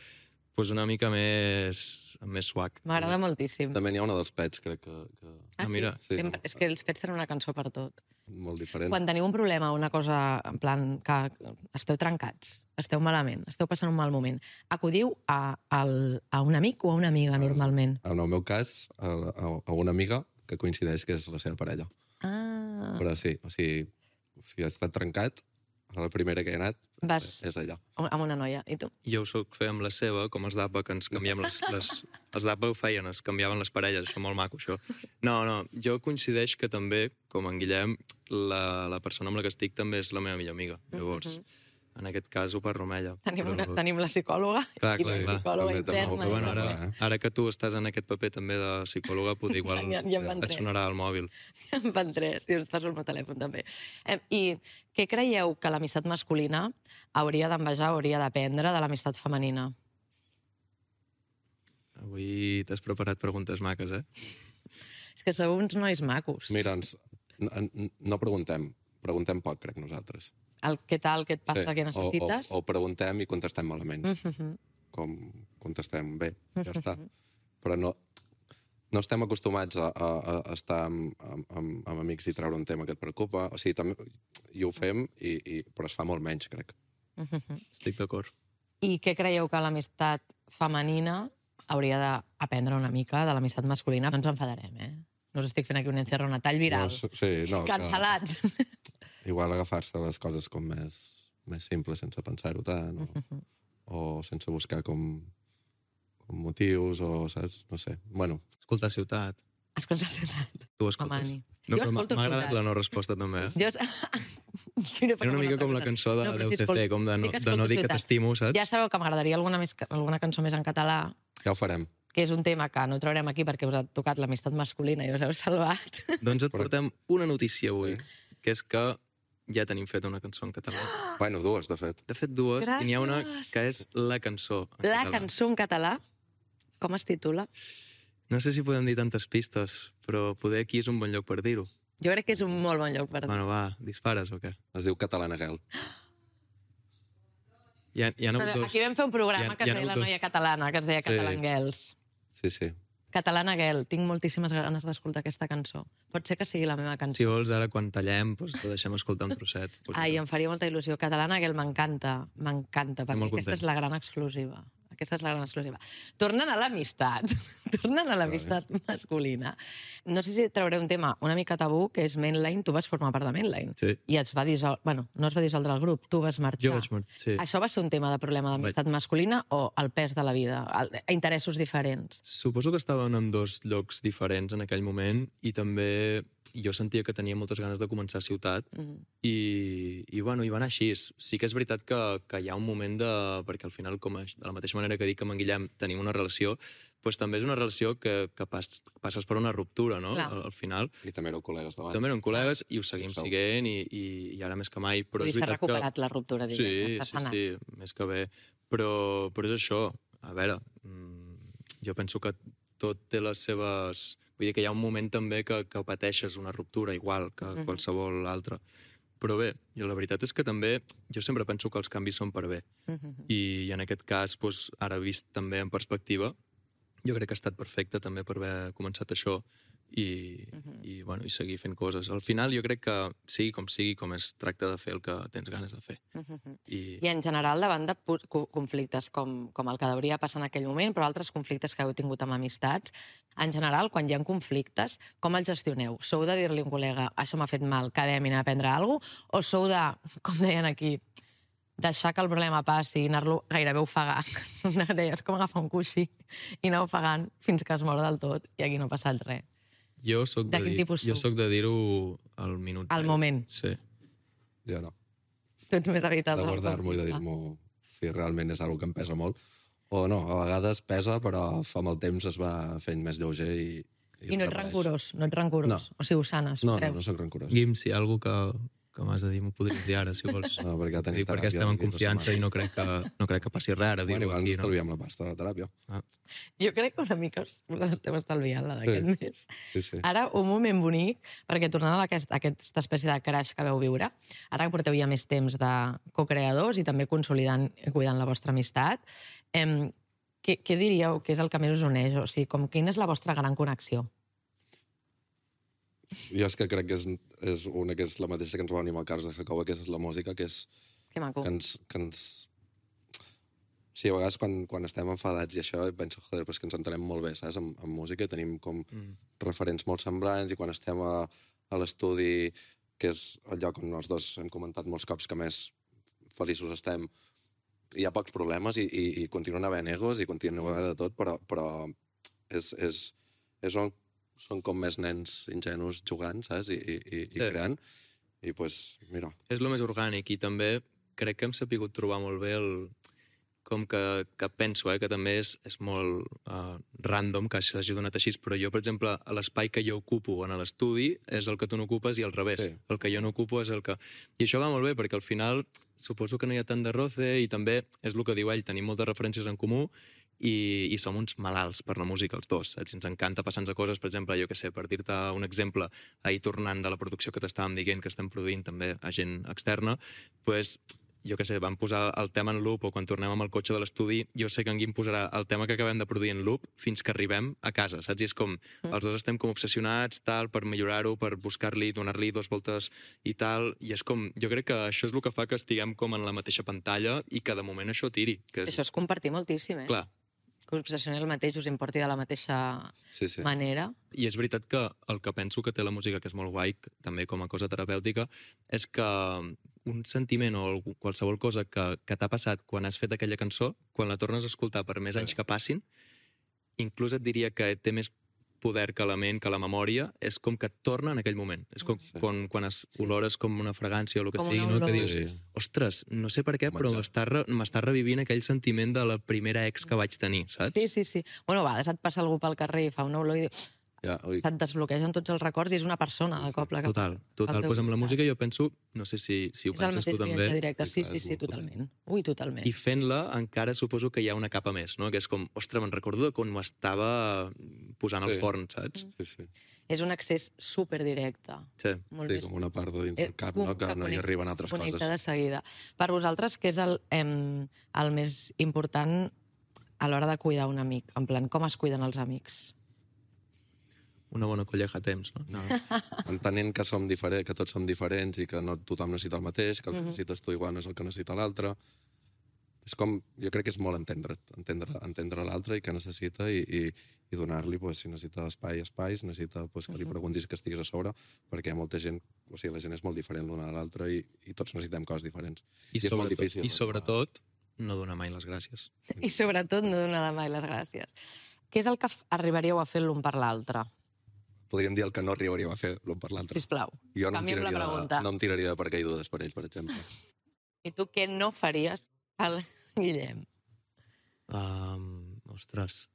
pues, una mica més suac. M'agrada moltíssim. També n'hi ha una dels Pets, crec que Ah, sí? mira, sí. És que els Pets tenen una cançó per tot. molt diferent. Quan teniu un problema, una cosa, en plan, que esteu trencats, esteu malament, esteu passant un mal moment, acudiu a un amic o a una amiga, normalment? En el meu cas, a una amiga que coincideix que és la seva parella. Ah, Però sí, o sigui, si ha estat trencat, la primera que he anat vas és allà. amb una noia. I tu? Jo ho soc fer amb la seva, com els d'APA, que ens canviem els d'APA ho feien, es canviaven les parelles, això molt maco, això. No, jo coincideix que també, com en Guillem, la persona amb la que estic també és la meva millor amiga. Llavors, en aquest cas ho parlo amb ella. Tenim la psicòloga Clar, i la psicòloga També interna. Però bueno, Clar, ara que tu estàs en aquest paper també de psicòloga, potser igual Ja en van et tres. sonarà al mòbil. En van tres, i us passo el meu telèfon també. I què creieu que l'amistat masculina hauria d'envejar, hauria d'aprendre de l'amistat femenina? Avui t'has preparat preguntes maques, eh? És que sou uns nois macos. Mira, no preguntem poc, crec, nosaltres. Què tal, què et passa, Sí, què necessites? O preguntem i contestem malament. Mhm. Com contestem bé, ja està. Però no estem acostumats a estar amb amics i treure un tema que et preocupa. O sigui, també, i ho fem, però es fa molt menys, crec. Mhm. Estic d'acord. I què creieu que l'amistat femenina hauria d'aprendre una mica de l'amistat masculina? No ens enfadarem, eh? No us estic fent aquí un encierro, un tall viral. No, Cancel·lats. Igual agafar-se les coses com més simples, sense pensar-ho tant, o sense buscar com motius, o saps? No sé. Bueno, Escoltar Ciutat. Escolta, ciutat. Tu escoltes. Mani. No, Jo però escolto m'ha agradat Ciutat. la no resposta també. Jo... Era una mica com la cançó de 10cc, com de no dir que t'estimo, saps? Ja sabeu que m'agradaria alguna cançó més en català, ja ho farem. que és un tema que no traurem aquí perquè us ha tocat l'amistat masculina i us heu salvat. Doncs et portem una notícia avui, que és que ja tenim fet una cançó en català. Bueno, dues, de fet. De fet, dues, i n'hi ha una Gràcies. que és la cançó en La català. cançó en català, com es titula? No sé si podem dir tantes pistes, però poder aquí és un bon lloc per dir-ho. Jo crec que és un molt bon lloc per dir. Bueno, va, dispares o què? Es diu Catalana Girl. Hi ha hagut dos. Aquí vam fer un programa que hi es ha deia La hagut dos. noia catalana, que es deia Sí. Catalan Girls. Sí. Catalana Girl, tinc moltíssimes ganes d'escoltar aquesta cançó. Pot ser que sigui la meva Si cançó. vols, ara quan tallem, doncs te deixem escoltar un trosset. Ai, em faria molta il·lusió. Catalana Girl m'encanta, perquè molt aquesta content. és la gran exclusiva. Aquesta és la gran exclusiva. Tornant a l'amistat, tornant a l'amistat masculina. No sé si trauré un tema una mica tabú, que és Mainline. Tu vas formar part de Mainline. Sí. I et va dissoldre... Bueno, no es va dissoldre el grup, tu vas marxar. Jo vaig marxar, sí. Això va ser un tema de problema d'amistat masculina o el pes de la vida, interessos diferents? Suposo que estaven en dos llocs diferents en aquell moment i també jo sentia que tenia moltes ganes de començar a Ciutat i bueno, i va anar així. Sí que és veritat que hi ha un moment de... Perquè al final, de la mateixa manera que dic que amb en Guillem tenim una relació, doncs també és una relació que passes per una ruptura, no? Al final. I també éreu col·legues d'abans. També érem col·legues i ho seguim sent i ara més que mai. Però és S'ha veritat recuperat la ruptura, diguem, Sí, s'ha sanat. sí, més que bé. Però és això. A veure, jo penso que tot té les seves... Vull dir que hi ha un moment també que pateixes una ruptura, igual que qualsevol altra. Però bé, i la veritat és que també jo sempre penso que els canvis són per bé. I en aquest cas, doncs, ara vist també en perspectiva, jo crec que ha estat perfecte també per haver començat això i seguir fent coses. Al final jo crec que sigui, com es tracta de fer el que tens ganes de fer. I en general, davant de conflictes com el que hauria passar en aquell moment, però altres conflictes que heu tingut amb amistats, en general, quan hi ha conflictes, com els gestioneu? Sou de dir-li a un col·lega, això m'ha fet mal, quedem i anar a aprendre alguna cosa? O sou de, com deien aquí, deixar que el problema passi i anar-lo gairebé ofegant? Deies com agafar un coixí i anar ofegant fins que es mor del tot i aquí no ha passat res. Jo soc De quin tipus jo sou? soc de dir-ho al minut. Al zero. moment. Sí. Jo no. Tu ets més habitat. De guardar-m'ho i de dir-m'ho si realment és una que em pesa molt. O no, a vegades pesa, però amb el temps es va fent més lleuger i I no ets desapareix. rancorós, no ets rancorós. No. O sigui, ho sanes, No, creus? no soc rancorós. Guim, si hi ha alguna que m'has de dir, m'ho podries dir ara, si vols. No, perquè tenim Dic, perquè teràpia estem en d'aquí 2 confiança i setmanes. no crec que passi res ara. Bueno, Dir-ho igual ens aquí, no? estalviem la pasta de la teràpia. Jo crec que una mica us l'esteu estalviant, la d'aquest Sí. mes. Sí, sí. Ara, un moment bonic, perquè tornant a aquesta espècie de crash que veu viure, ara que porteu ja més temps de co-creadors i també consolidant i cuidant la vostra amistat, què diríeu que és el que més us uneix? O sigui, quina és la vostra gran connexió? Jo és que crec que és una que és la mateixa que ens va unir amb el Carlos de Jacoba, que és la música, que és Que maco. que ens... Sí, a vegades quan estem enfadats i això, penso, joder, però és que ens entenem molt bé, saps? En música tenim com referents molt semblants i quan estem a l'estudi, que és el lloc on els dos hem comentat molts cops que més feliços estem, hi ha pocs problemes i continuen havent egos i continua havent de tot, però és on són com més nens ingenus jugant, saps? I creant. I, pues, mira... És el més orgànic i també crec que hem sapigut trobar molt bé com que penso que també és molt random que s'hagi donat així, però jo, per exemple, l'espai que jo ocupo en l'estudi és el que tu no ocupes i al revés. Sí. El que jo no ocupo és el que... I això va molt bé, perquè al final suposo que no hi ha tant de roce i també és el que diu ell, tenim moltes referències en comú i som uns malalts per la música, els dos. Saps? Ens encanta passar-nos coses, per exemple, jo què sé, per dir-te un exemple, ahir tornant de la producció que t'estàvem dient, que estem produint també a gent externa, doncs jo què sé, vam posar el tema en loop o quan tornem amb el cotxe de l'estudi, jo sé que en Guim posarà el tema que acabem de produir en loop fins que arribem a casa, saps? I és com, els dos estem com obsessionats, tal, per millorar-ho, per buscar-li, donar-li 2 voltes i tal, i és com, jo crec que això és el que fa que estiguem com en la mateixa pantalla i que de moment això tiri. Que és... Això és compartir moltíssim, Clar. Que us obsessioni el mateix, us importi de la mateixa manera. I és veritat que el que penso que té la música, que és molt guai, també com a cosa terapèutica, és que un sentiment o qualsevol cosa que t'ha passat quan has fet aquella cançó, quan la tornes a escoltar per més anys que passin, inclús et diria que té més poder que la ment, que la memòria, és com que et torna en aquell moment. És com quan olores com una fragància o el que sigui, no? Que dius, ostres, no sé per què, però m'està revivint aquell sentiment de la primera ex que vaig tenir, saps? Sí. Bueno, a vegades et passa algú pel carrer i fa una olor i dius... Se't desbloquegen tots els records i és una persona de cop. Total. Pues amb la música jo penso, no sé si ho penses tu també. És el mateix directe, sí, totalment. Ui, totalment. I fent-la encara suposo que hi ha una capa més, no? Que és com, ostres, me'n recordo de quan m'estava posant al forn, saps? Sí. És un accés superdirecte. Sí, com una part de dins del cap, no? Que no hi arriben altres coses. Connecta de seguida. Per vosaltres, què és el més important a l'hora de cuidar un amic? En plan, com es cuiden els amics? Una bona colleja a temps, no? Entenent que que tots som diferents i que no tothom necessita el mateix, que el que necessites tu igual no és el que necessita l'altre. És com, jo crec que és molt entendre l'altre i què necessita i donar-li, si necessita espais, necessita que li preguntis que estiguis a sobre, perquè hi ha molta gent, o sigui, la gent és molt diferent l'una de l'altra i tots necessitem coses diferents. I és molt difícil. I sobretot, no donar mai les gràcies. I sobretot no donar mai les gràcies. Què és el que arribaríeu a fer l'un per l'altre? Podríem dir el que no arribaríem a fer l'un per l'altre. Sisplau, jo no canviem la pregunta. No em tiraria de paracaigudes per ells, per exemple. I tu què no faries al Guillem? Ostres.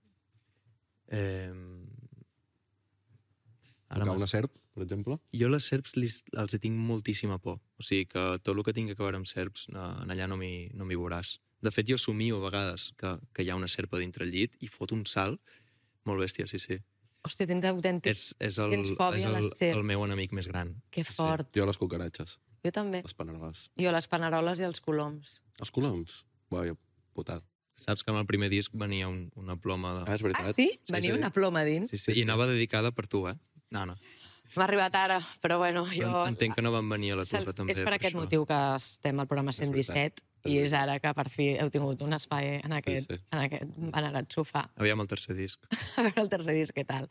Tocar una serp, per exemple? Jo les serps els tinc moltíssima por. O sigui que tot el que tingui que veure amb serps, allà no m'hi veuràs. De fet, jo somio a vegades que hi ha una serpa dintre el llit i fot un salt molt bèstia, sí. Hòstia, tens autèntic... Tens fòbia a la serp. És el meu enemic més gran. Que fort. Jo les cucaratges. Jo també. Les paneroles. Jo les paneroles i els coloms. Els coloms? Vaja, putada. Saps que amb el primer disc venia una ploma de... És veritat. Ah, sí? Venia una ploma dins? Sí. I anava dedicada per tu, No. M'ha arribat ara, però bueno, jo... Entenc que no van venir a la torre, també. És per aquest motiu que estem al programa 117 i és ara que per fi heu tingut un espai en aquest venerat sofà. Aviam el tercer disc. A veure el tercer disc, què tal?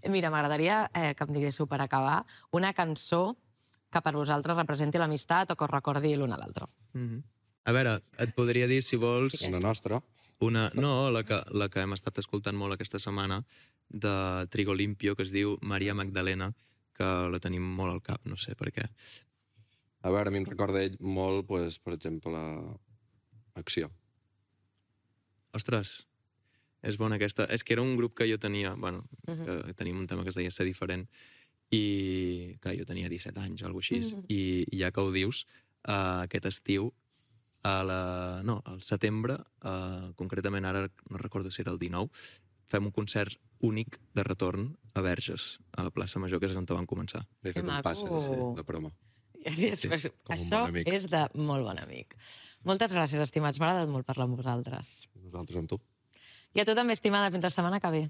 Mira, m'agradaria que em diguéssiu per acabar una cançó que per vosaltres representi l'amistat o que us recordi l'un a l'altre. A veure, et podria dir, si vols... Una nostra. No, la que hem estat escoltant molt aquesta setmana, de Trigo Limpio que es diu Maria Magdalena, que la tenim molt al cap, no sé per què. A veure, a mi em recorda ell molt, pues, per exemple, Acció. Ostres, és bona aquesta. És que era un grup que jo tenia, bueno, que tenim un tema que es deia Ser diferent, i clar, jo tenia 17 anys o alguna cosa així, i ja que ho dius, aquest estiu, al setembre, concretament ara no recordo si era el 19, fem un concert únic de retorn a Verges, a la plaça Major, que és on van començar. Li he fet un passe de promo. Sí, com un això bon amic. és de molt bon amic. Moltes gràcies, estimats. M'ha agradat molt parlar amb vosaltres. Nosaltres amb tu. I a tu també, estimada. Fins la setmana que ve.